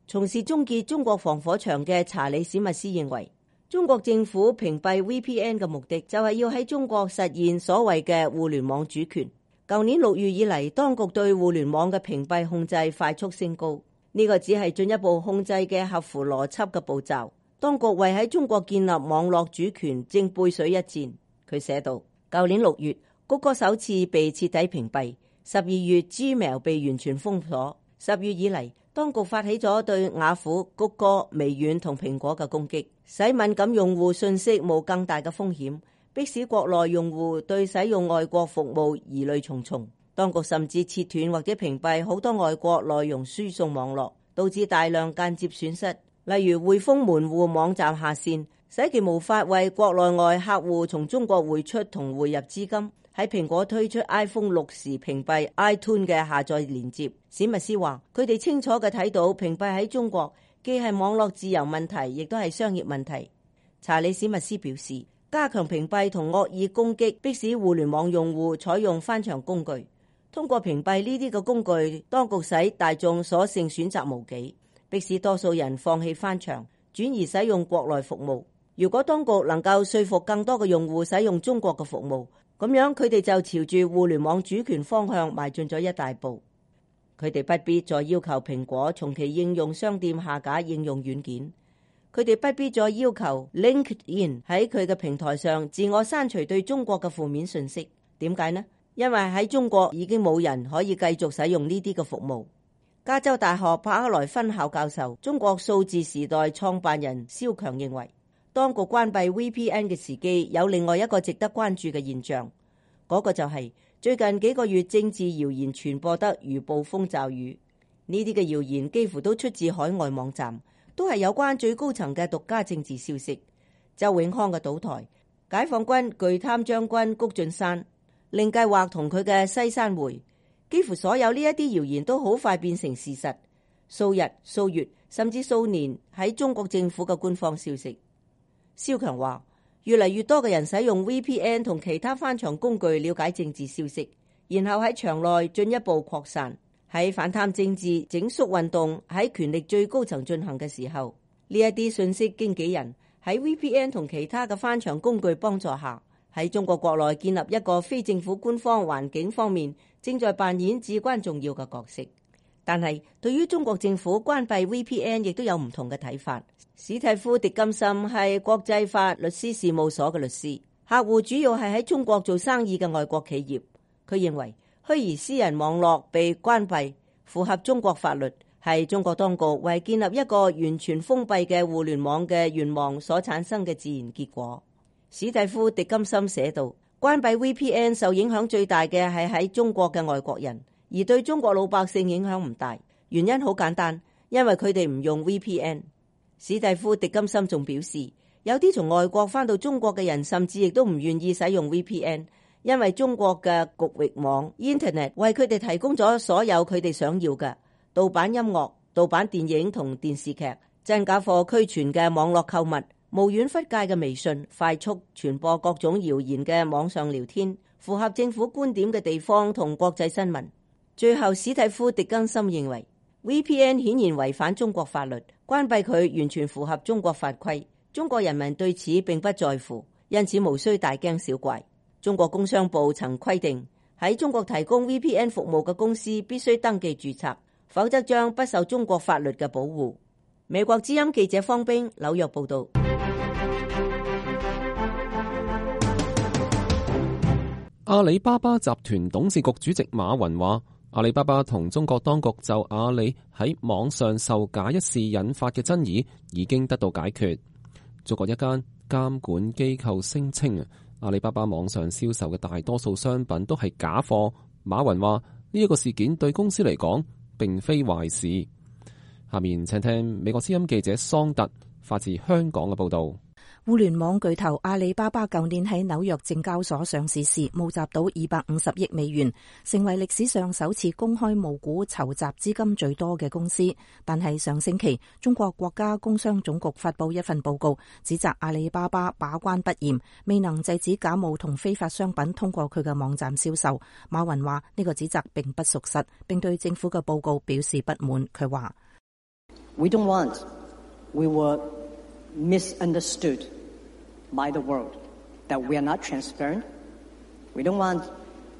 從事終結中國防火牆嘅查理史密斯認為，中國政府屏蔽 V P N 嘅目的就係要喺中國實現所謂嘅互聯網主權。舊年六月以嚟，當局對互聯網嘅屏蔽控制快速升高，呢個只係進一步控制嘅合乎邏輯嘅步驟。當局為喺中國建立網絡主權正背水一戰。佢寫道，舊年六月，谷歌首次被徹底屏蔽，十二月 Gmail 被完全封鎖。十月以嚟，當局發起咗對雅虎、谷歌、微軟同蘋果嘅攻擊，使敏感用戶信息冒更大嘅風險，迫使國內用戶對使用外國服務疑慮重重。當局甚至切斷或者屏蔽好多外國內容輸送網絡，導致大量間接損失。例如匯豐門戶網站下線，使其無法為國內外客戶從中國匯出同匯入資金。喺蘋果推出 iPhone 六時屏蔽 iTunes 嘅下載連接。史密斯話，佢哋清楚嘅睇到屏蔽喺中國既係網絡自由問題，亦都係商業問題。查理史密斯表示，加強屏蔽同惡意攻擊，迫使互聯網用戶採用翻牆工具。通過屏蔽呢啲嘅工具，當局使大眾所剩選擇無幾，迫使多數人放棄翻牆，轉而使用國內服務。如果當局能夠說服更多嘅用戶使用中國嘅服務，咁樣佢哋就朝住互聯網主權方向邁進咗一大步。佢哋不必再要求蘋果從其應用商店下架應用軟件，佢哋不必再要求 LinkedIn 喺佢嘅平台上自我刪除對中國嘅負面信息。點解呢？因為喺中國已經冇人可以繼續使用呢啲嘅服務。加州大學柏克萊分校教授、中國數字時代創辦人蕭強認為，當局關閉 V P N 嘅時機有另外一個值得關注嘅現象，嗰個就係最近幾個月政治謠言傳播得如暴風驟雨。呢啲嘅謠言幾乎都出自海外網站，都係有關最高層嘅獨家政治消息。周永康嘅倒台、解放軍巨貪將軍谷俊山、令計劃同佢嘅西山會，幾乎所有呢一啲謠言都好快變成事實，數日、數月甚至數年喺中國政府嘅官方消息。蕭強話，越嚟越多嘅人使用 V P N 同其他翻牆工具了解政治消息，然後喺牆內進一步擴散。喺反貪政治整肅運動喺權力最高層進行嘅時候，呢一啲信息經紀人喺 V P N 同其他嘅翻牆工具幫助下，喺中國國內建立一個非政府官方環境方面，正在扮演至關重要嘅角色。但係對於中國政府關閉 V P N 亦都有唔同嘅睇法。史蒂夫·狄金森係國際法律師事務所嘅律師，客戶主要係喺中國做生意嘅外國企業。佢認為虛擬私人網絡被關閉符合中國法律，係中國當局為建立一個完全封閉嘅互聯網嘅願望所產生嘅自然結果。史蒂夫·狄金森寫道，關閉 V P N 受影響最大嘅係喺中國嘅外國人，而對中國老百姓影響唔大。原因好簡單，因為佢哋唔用 V P N。史蒂夫·狄金森仲表示，有啲從外國返到中國嘅人，甚至亦都唔願意使用 V P N， 因為中國嘅局域網 Internet 為佢哋提供咗所有佢哋想要嘅盜版音樂、盜版電影同電視劇、真假貨俱全嘅網絡購物、無遠弗屆嘅微信、快速傳播各種謠言嘅網上聊天、符合政府觀點嘅地方同國際新聞。最後，史蒂夫·狄金森認為 V P N 顯然違反中國法律，關閉佢完全符合中國法規。中國人民對此並不在乎，因此無需大驚小怪。中國工商部曾規定，喺中國提供 V P N 服務嘅公司必須登記註冊，否則將不受中國法律嘅保護。美國之音記者方冰紐約報道。阿里巴巴集團董事局主席馬雲話，阿里巴巴同中國當局就阿里喺網上售假一事引發嘅爭議已經得到解決。中國一間監管機構聲稱，阿里巴巴網上銷售嘅大多數商品都係假貨。馬雲話呢一個事件對公司嚟講並非壞事。下面請聽美國之音記者桑特發自香港嘅報道。互聯網巨頭阿里巴巴舊年喺紐約證交所上市時募集到二百五十億美元，成為歷史上首次公開募股籌集資金最多嘅公司。但係上星期，中國國家工商總局發布一份報告，指責阿里巴巴把關不嚴，未能制止假冒同非法商品通過佢嘅網站銷售。馬雲話呢個指責並不屬實，並對政府嘅報告表示不滿。佢話 We don't want, we were misunderstood by the world, that we are not transparent. We don't want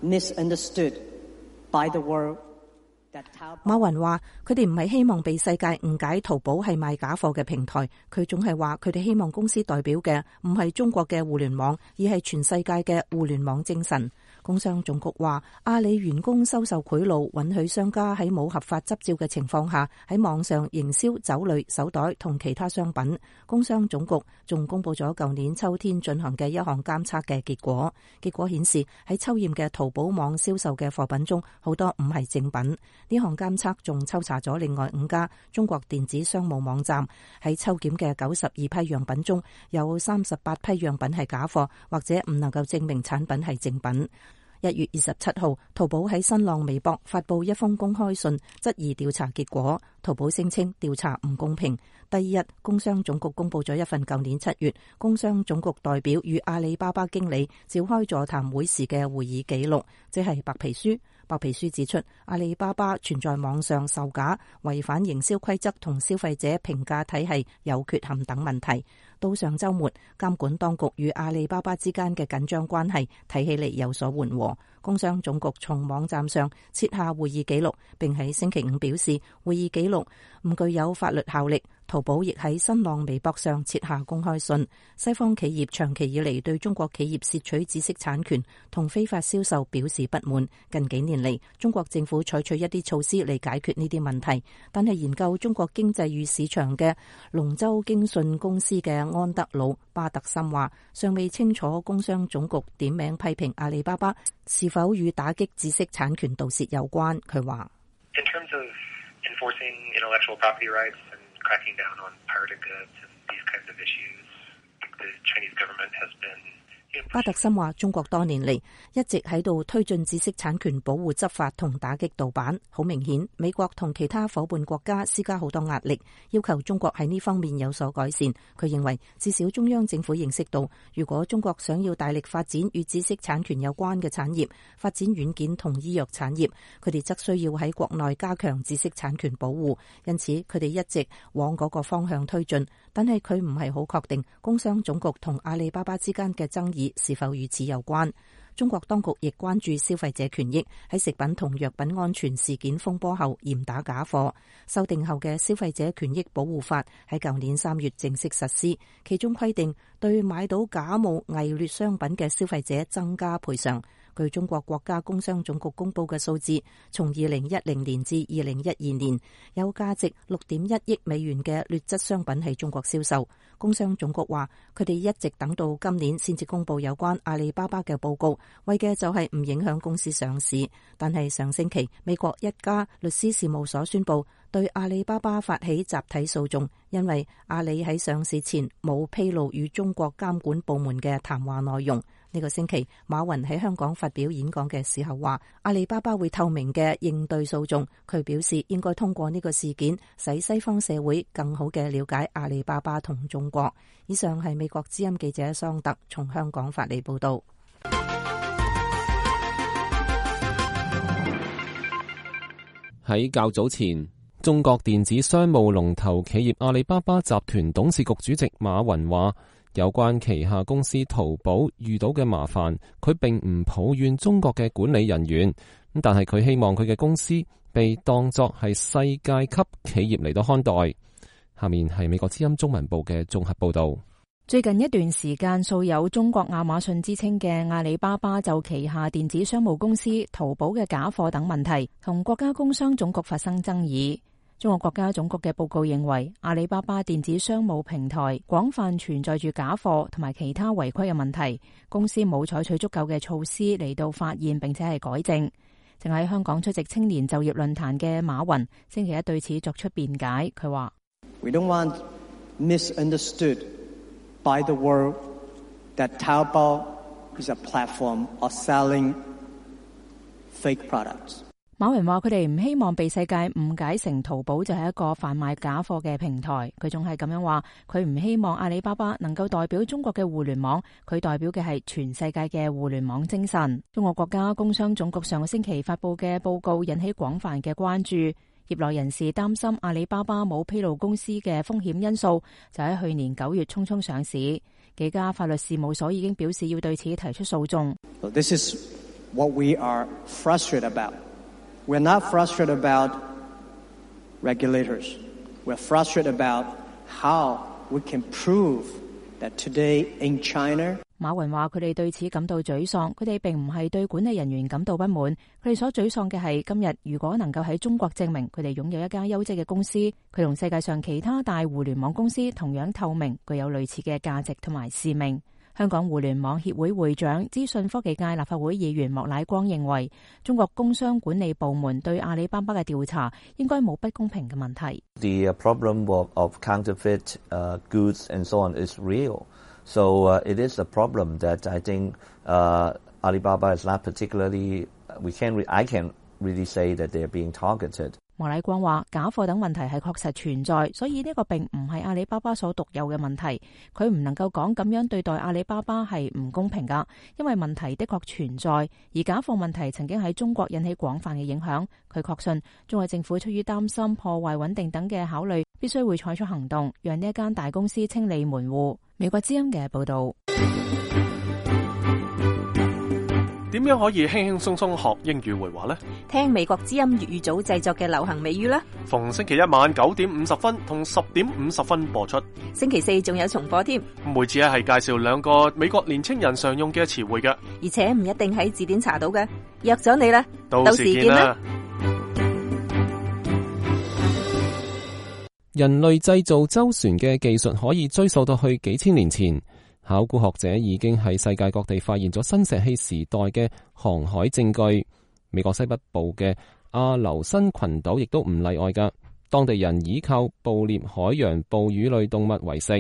misunderstood by the world. 馬雲話佢哋唔係希望被世界誤解淘寶係賣假貨嘅平台，佢總係話佢哋希望公司代表嘅唔係中國嘅互聯網，而係全世界嘅互聯網精神。工商總局話阿里員工收受賄賂，允許商家喺冇合法執照嘅情況下喺網上營銷酒類、手袋同其他商品。工商總局仲公布咗舊年秋天進行嘅一項監測嘅結果，結果顯示喺抽驗嘅淘寶網銷售嘅貨品中，好多唔係正品。呢項監測仲抽查咗另外五家中國電子商務網站，喺抽檢嘅九十二批樣品中，有三十八批樣品係假貨，或者唔能夠證明產品係正品。一月二十七號，淘寶喺新浪微博發布一封公開信，質疑調查結果。淘寶聲稱調查唔公平。第二日，工商總局公布咗一份舊年七月工商總局代表與阿里巴巴經理召開座談會時嘅會議記錄，即係白皮書。白皮書指出，阿里巴巴存在網上售假、違反營銷規則同消費者評價體系有缺陷等問題。到上週末，監管當局與阿里巴巴之間嘅緊張關係睇起嚟有所緩和。工商總局從網站上撤下會議記錄，並喺星期五表示會議記錄唔具有法律效力。淘寶亦喺新浪微博上撤下公開信。西方企業長期以嚟對中國企業竊取知識產權同非法銷售表示不滿。近幾年嚟，中國政府採取一啲措施嚟解決呢啲問題，但係研究中國經濟與市場嘅龍舟經訊公司嘅安德魯巴特森話，尚未清楚工商總局點名批評阿里巴巴是否與打擊知識產權盜竊有關。佢話In terms of enforcing intellectual property rights and cracking down on pirated goods and these kinds of issues, the Chinese government has been巴特森話：中國多年嚟一直喺度推進知識產權保護執法同打擊盜版。好明顯，美國同其他夥伴國家施加好多壓力，要求中國喺呢方面有所改善。佢認為，至少中央政府認識到，如果中國想要大力發展與知識產權有關嘅產業，發展軟件同醫藥產業，佢哋則需要喺國內加強知識產權保護。因此，佢哋一直往嗰個方向推進。但係佢唔係好確定工商總局同阿里巴巴之間嘅爭議是否與此有關。中國當局亦關注消費者權益，喺食品同藥品安全事件風波後嚴打假貨。修訂後嘅消費者權益保護法喺舊年三月正式實施，其中規定對買到假冒偽劣商品嘅消費者增加賠償。據中國國家工商總局公布嘅數字，從二零一零年至二零一二年，有價值六點一億美元嘅劣質商品喺中國銷售。工商總局話，佢哋一直等到今年先至公布有關阿里巴巴嘅報告，為嘅就係唔影響公司上市。但係上星期，美國一家律師事務所宣布，對阿里巴巴發起集體訴訟，因為阿里喺上市前冇披露與中國監管部門嘅談話內容。呢個星期，馬雲喺香港發表演講嘅時候話，阿里巴巴會透明嘅應對訴訟。佢表示應該通過呢個事件，使西方社會更好嘅了解阿里巴巴同中國。以上係美國之音記者桑特從香港發嚟報道。喺較早前，中國電子商務龍頭企業阿里巴巴集團董事局主席馬雲話，有關旗下公司淘寶遇到嘅麻煩，佢並唔抱怨中國嘅管理人員，但係佢希望佢嘅公司被當作係世界級企業嚟到看待。下面係美國之音中文部嘅綜合報道。最近一段時間，素有中國亞馬遜之稱嘅阿里巴巴就旗下電子商務公司淘寶嘅假貨等問題，同國家工商總局發生爭議。中國國家總局嘅報告認為，阿里巴巴電子商務平台廣泛存在住假貨同埋其他違規嘅問題，公司冇採取足夠嘅措施嚟到發現並且係改正。正喺香港出席青年就業論壇嘅馬雲星期一對此作出辯解，佢話：We don't want misunderstood by the world that Taobao is a platform of selling fake products. 馬雲話佢哋唔希望被世界誤解成淘寶就係一個販賣假貨嘅平台。佢仲係咁樣話，佢唔希望阿里巴巴能夠代表中國嘅互聯網，佢代表嘅係全世界嘅互聯網精神。中國國家工商總局上個星期發佈嘅報告引起廣泛嘅關注。業內人士擔心阿里巴巴冇披露公司嘅風險因素，就喺去年九月匆匆上市。幾家法律事務所已經表示要對此提出訴訟。This is what we are frustrated about. We're not frustrated about regulators. We're frustrated about how we can prove that today in China. 馬雲話佢哋對此感到沮喪，佢哋並唔係對管理人員感到不滿，佢哋所沮喪嘅係今日如果能夠喺中國證明佢哋擁有一家優質嘅公司，佢同世界上其他大互聯網公司同樣透明，具有類似嘅價值同埋使命。香港互聯網協會會長、資訊科技界立法會議員莫乃光認為，中國工商管理部門對阿里巴巴嘅調查應該冇不公平嘅問題。The problem of counterfeit goods and so on is real. So it is a problem that I think Alibaba is not particularly. We can't. I can't really say that they are being targeted. 莫乃光話：假貨等問題係確實存在，所以呢個並唔係阿里巴巴所獨有嘅問題。佢唔能夠講咁樣對待阿里巴巴係唔公平㗎，因為問題的確存在，而假貨問題曾經喺中國引起廣泛嘅影響。佢確信中國政府出於擔心破壞穩定等嘅考慮，必須會採取行動，讓呢一間大公司清理門戶。美國之音嘅報導。點樣可以輕輕鬆鬆學英語會話呢？聽美國之音粵語組製作嘅流行美語啦！逢星期一晚九點五十分同十點五十分播出。星期四仲有重播添。每次係介紹兩個美國年青人常用嘅詞彙嘅，而且唔一定喺字典查到嘅。約咗你啦，到時見啦！人類製造舟船嘅技術可以追溯到去幾千年前。考古學者已經喺世界各地發現咗新石器時代嘅航海證據。美國西北部嘅阿留申群島亦都唔例外㗎。當地人依靠捕獵海洋哺乳類動物為食，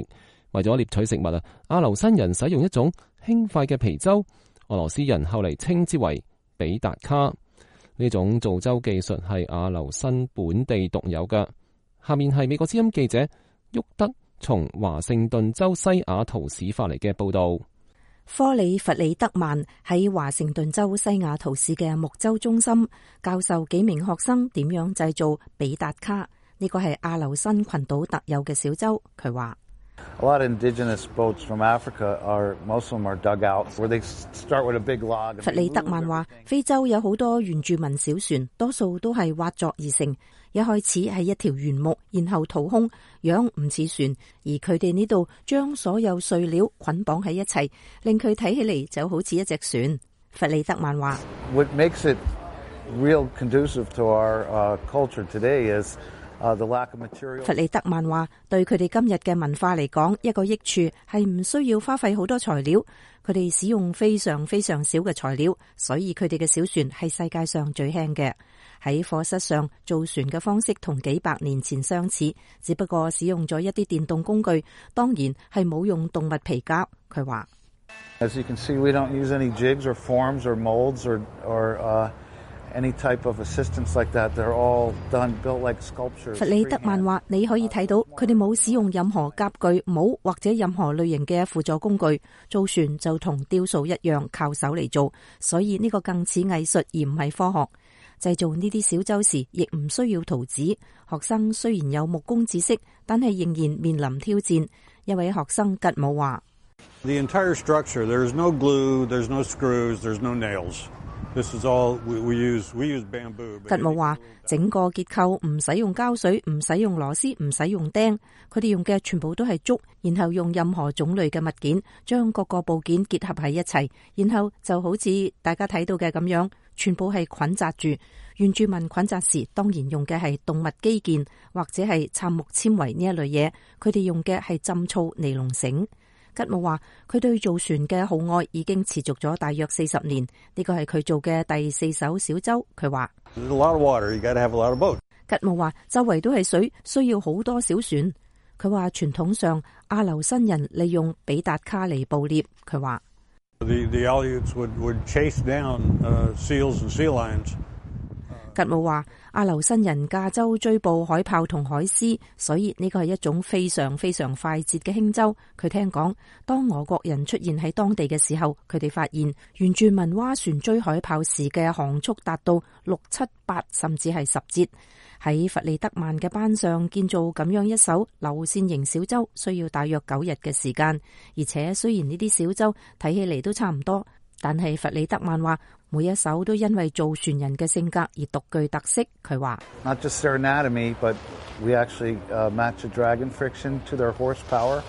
為咗獵取食物啊，阿留申人使用一種輕快嘅皮舟，俄羅斯人後嚟稱之為比達卡。呢種造舟技術係阿留申本地獨有㗎。下面係美國之音記者沃德從華盛頓州西雅圖市發嚟嘅報道。科里弗里德曼喺華盛頓州西雅圖市嘅木舟中心教授幾名學生點樣製造比達卡，呢個係阿留申群島特有嘅小舟。佢話A lot of indigenous boats from Africa are, most of them are dug out, where they start with a big log. 弗里德曼話，非洲有好多原住民小船，多數都係挖作而成，一開始係一條原木，然後掏空，樣唔似船，而佢哋呢度將所有碎料捆綁喺一齊，令佢睇起嚟就好似一隻船。弗里德曼話 What makes it real conducive to our uh, culture today is Uh, the lack of material. 弗里德曼話：對佢哋今日嘅文化嚟講，一個益處係唔需要花費好多材料，佢哋使用非常非常少嘅材料，所以佢哋嘅小船係世界上最輕嘅。喺課室上造船嘅方式同幾百年前相似，只不過使用咗一啲電動工具，當然係冇用動物皮革。佢話 As you can see, we don't use any jigs or forms or molds or or uh, any type of assistance like that. They're all done built like sculptures. 弗里德曼話：你可以睇到佢哋冇使用任何夾具、帽或者任何類型嘅輔助工具，造船就同雕塑一樣靠手嚟做，所以呢個更似藝術而唔係科學。製造呢啲小舟時，亦唔需要圖紙。學生雖然有木工知識，但係仍然面臨挑戰。一位學生吉姆話 The entire structure, there's no glue, there's no screws, there's no nails. This is all we, we use. We use bamboo. 吉姆話：整個結構唔使用膠水，唔使用螺絲，唔使用釘，佢哋用嘅全部都係竹，然後用任何種類嘅物件將各個部件結合喺一齊，然後就好似大家睇到嘅咁樣，全部係捆紮住。原住民捆紮時當然用嘅係動物基建或者係杉木纖維呢一類嘢，佢哋用嘅係浸醋尼龍繩。吉姆話：佢對造船嘅好愛已經持續咗大約四十年，呢個係佢做嘅第四艘小舟。佢話：吉姆話：周圍都係水，需要好多小船。佢話傳統上阿留申人利用比達卡嚟捕獵。佢話 The, the Aleuts would, would chase down, uh, seals and sea lions. 吉姆話：阿留申人駕舟追捕海豹同海獅，所以呢個係一種非常非常快捷嘅輕舟。佢聽講，當俄國人出現喺當地嘅時候，佢哋發現原住民划船追海豹時嘅航速達到六七八甚至係十節。喺弗里德曼嘅班上建造咁樣一艘流線型小舟，需要大約九日嘅時間。而且雖然呢啲小舟睇起嚟都差唔多，但係弗里德曼話每一艘都因為造船人嘅性格而獨具特色。佢話 Not just their anatomy, but we actually uh, match the dragon friction to their horsepower,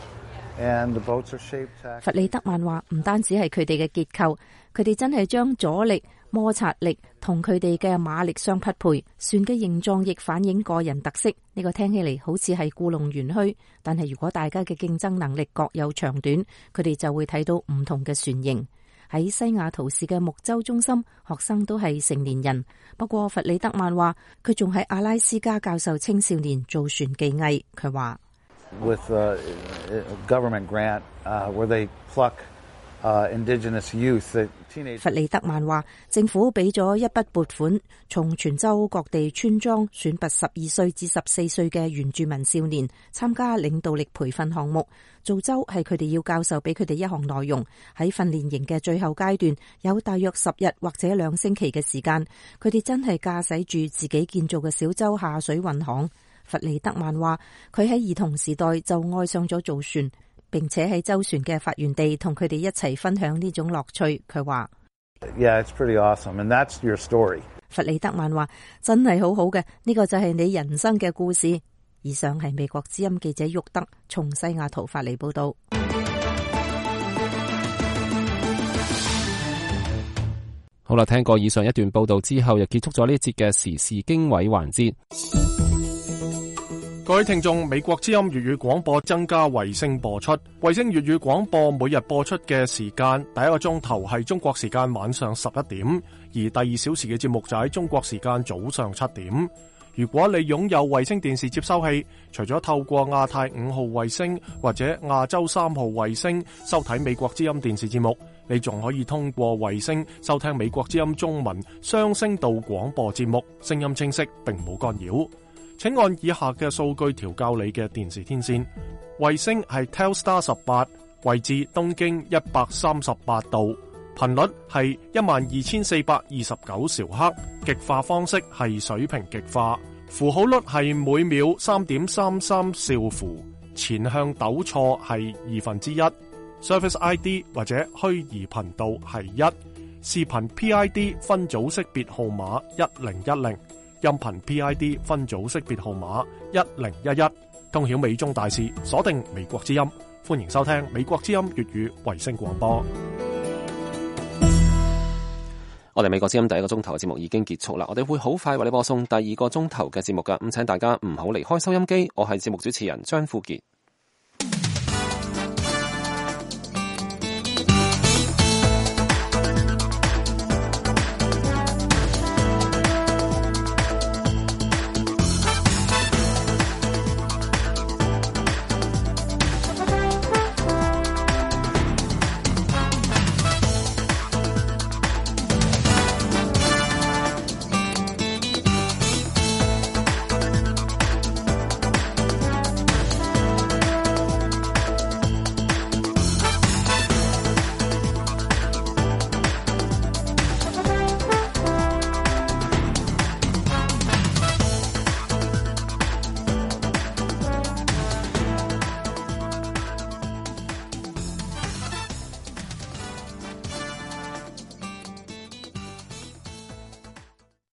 and the boats are shaped. 弗里德曼話唔單止係佢哋嘅結構，佢哋真係將阻力、摩擦力同佢哋嘅馬力相匹配。船嘅形狀亦反映個人特色。呢個聽起嚟好似係故弄玄虛，但係如果大家嘅競爭能力各有長短，佢哋就會睇到唔同嘅船型。喺西雅圖市嘅木舟中心，學生都係成年人。不過弗里德曼話佢仲喺阿拉斯加教授青少年造船技藝。佢話 With a government grant, uh, where they pluck uh, indigenous youth, the teenage. 弗里德曼話政府俾咗一筆撥款，從全州各地村莊選拔十二歲至十四歲嘅原住民少年參加領導力培訓項目。造舟係佢哋要教授俾佢哋一項內容。喺訓練營嘅最後階段，有大約十日或者兩星期嘅時間，佢哋真係駕駛住自己建造嘅小舟下水運航。弗里德曼話佢喺兒童時代就愛上咗造船，並且喺舟船嘅發源地同佢哋一齊分享呢種樂趣。佢話 Yeah, it's pretty awesome, and that's your story. 弗里德曼話真係好好嘅，呢個就係你人生嘅故事。以上係美國之音記者沃德從西雅圖發嚟報道。好啦，聽過以上一段報道之後，又結束咗呢一節嘅時事經緯環節。各位聽眾，美國之音粵語廣播增加衛星播出，衛星粵語廣播每日播出嘅時間，第一個鐘頭係中國時間晚上十一點，而第二小時嘅節目就喺中國時間早上七點。如果你擁有衛星電視接收器，除咗透過亞太五號衛星或者亞洲三號衛星收睇美國之音電視節目，你仲可以通過衛星收聽美國之音中文雙聲道廣播節目，聲音清晰並冇干擾。請按以下嘅數據調校你嘅電視天線。衛星係 Telstar 十八，位置東經一百三十八度，頻率係一萬二千四百二十九兆赫，極化方式係水平極化，符號率係每秒三點三三兆符，前向抖錯係二分之一，Service I D 或者虛擬頻道係一，視頻 P I D 分組識別號碼一零一零。音頻 P I D 分組識別號碼一零一一，通曉美中大事，鎖定美國之音，歡迎收聽美國之音粵語衛星廣播。我哋美國之音第一個鐘頭嘅節目已經結束啦，我哋會好快為你播送第二個鐘頭嘅節目噶，咁請大家唔好離開收音機。我係節目主持人張富傑。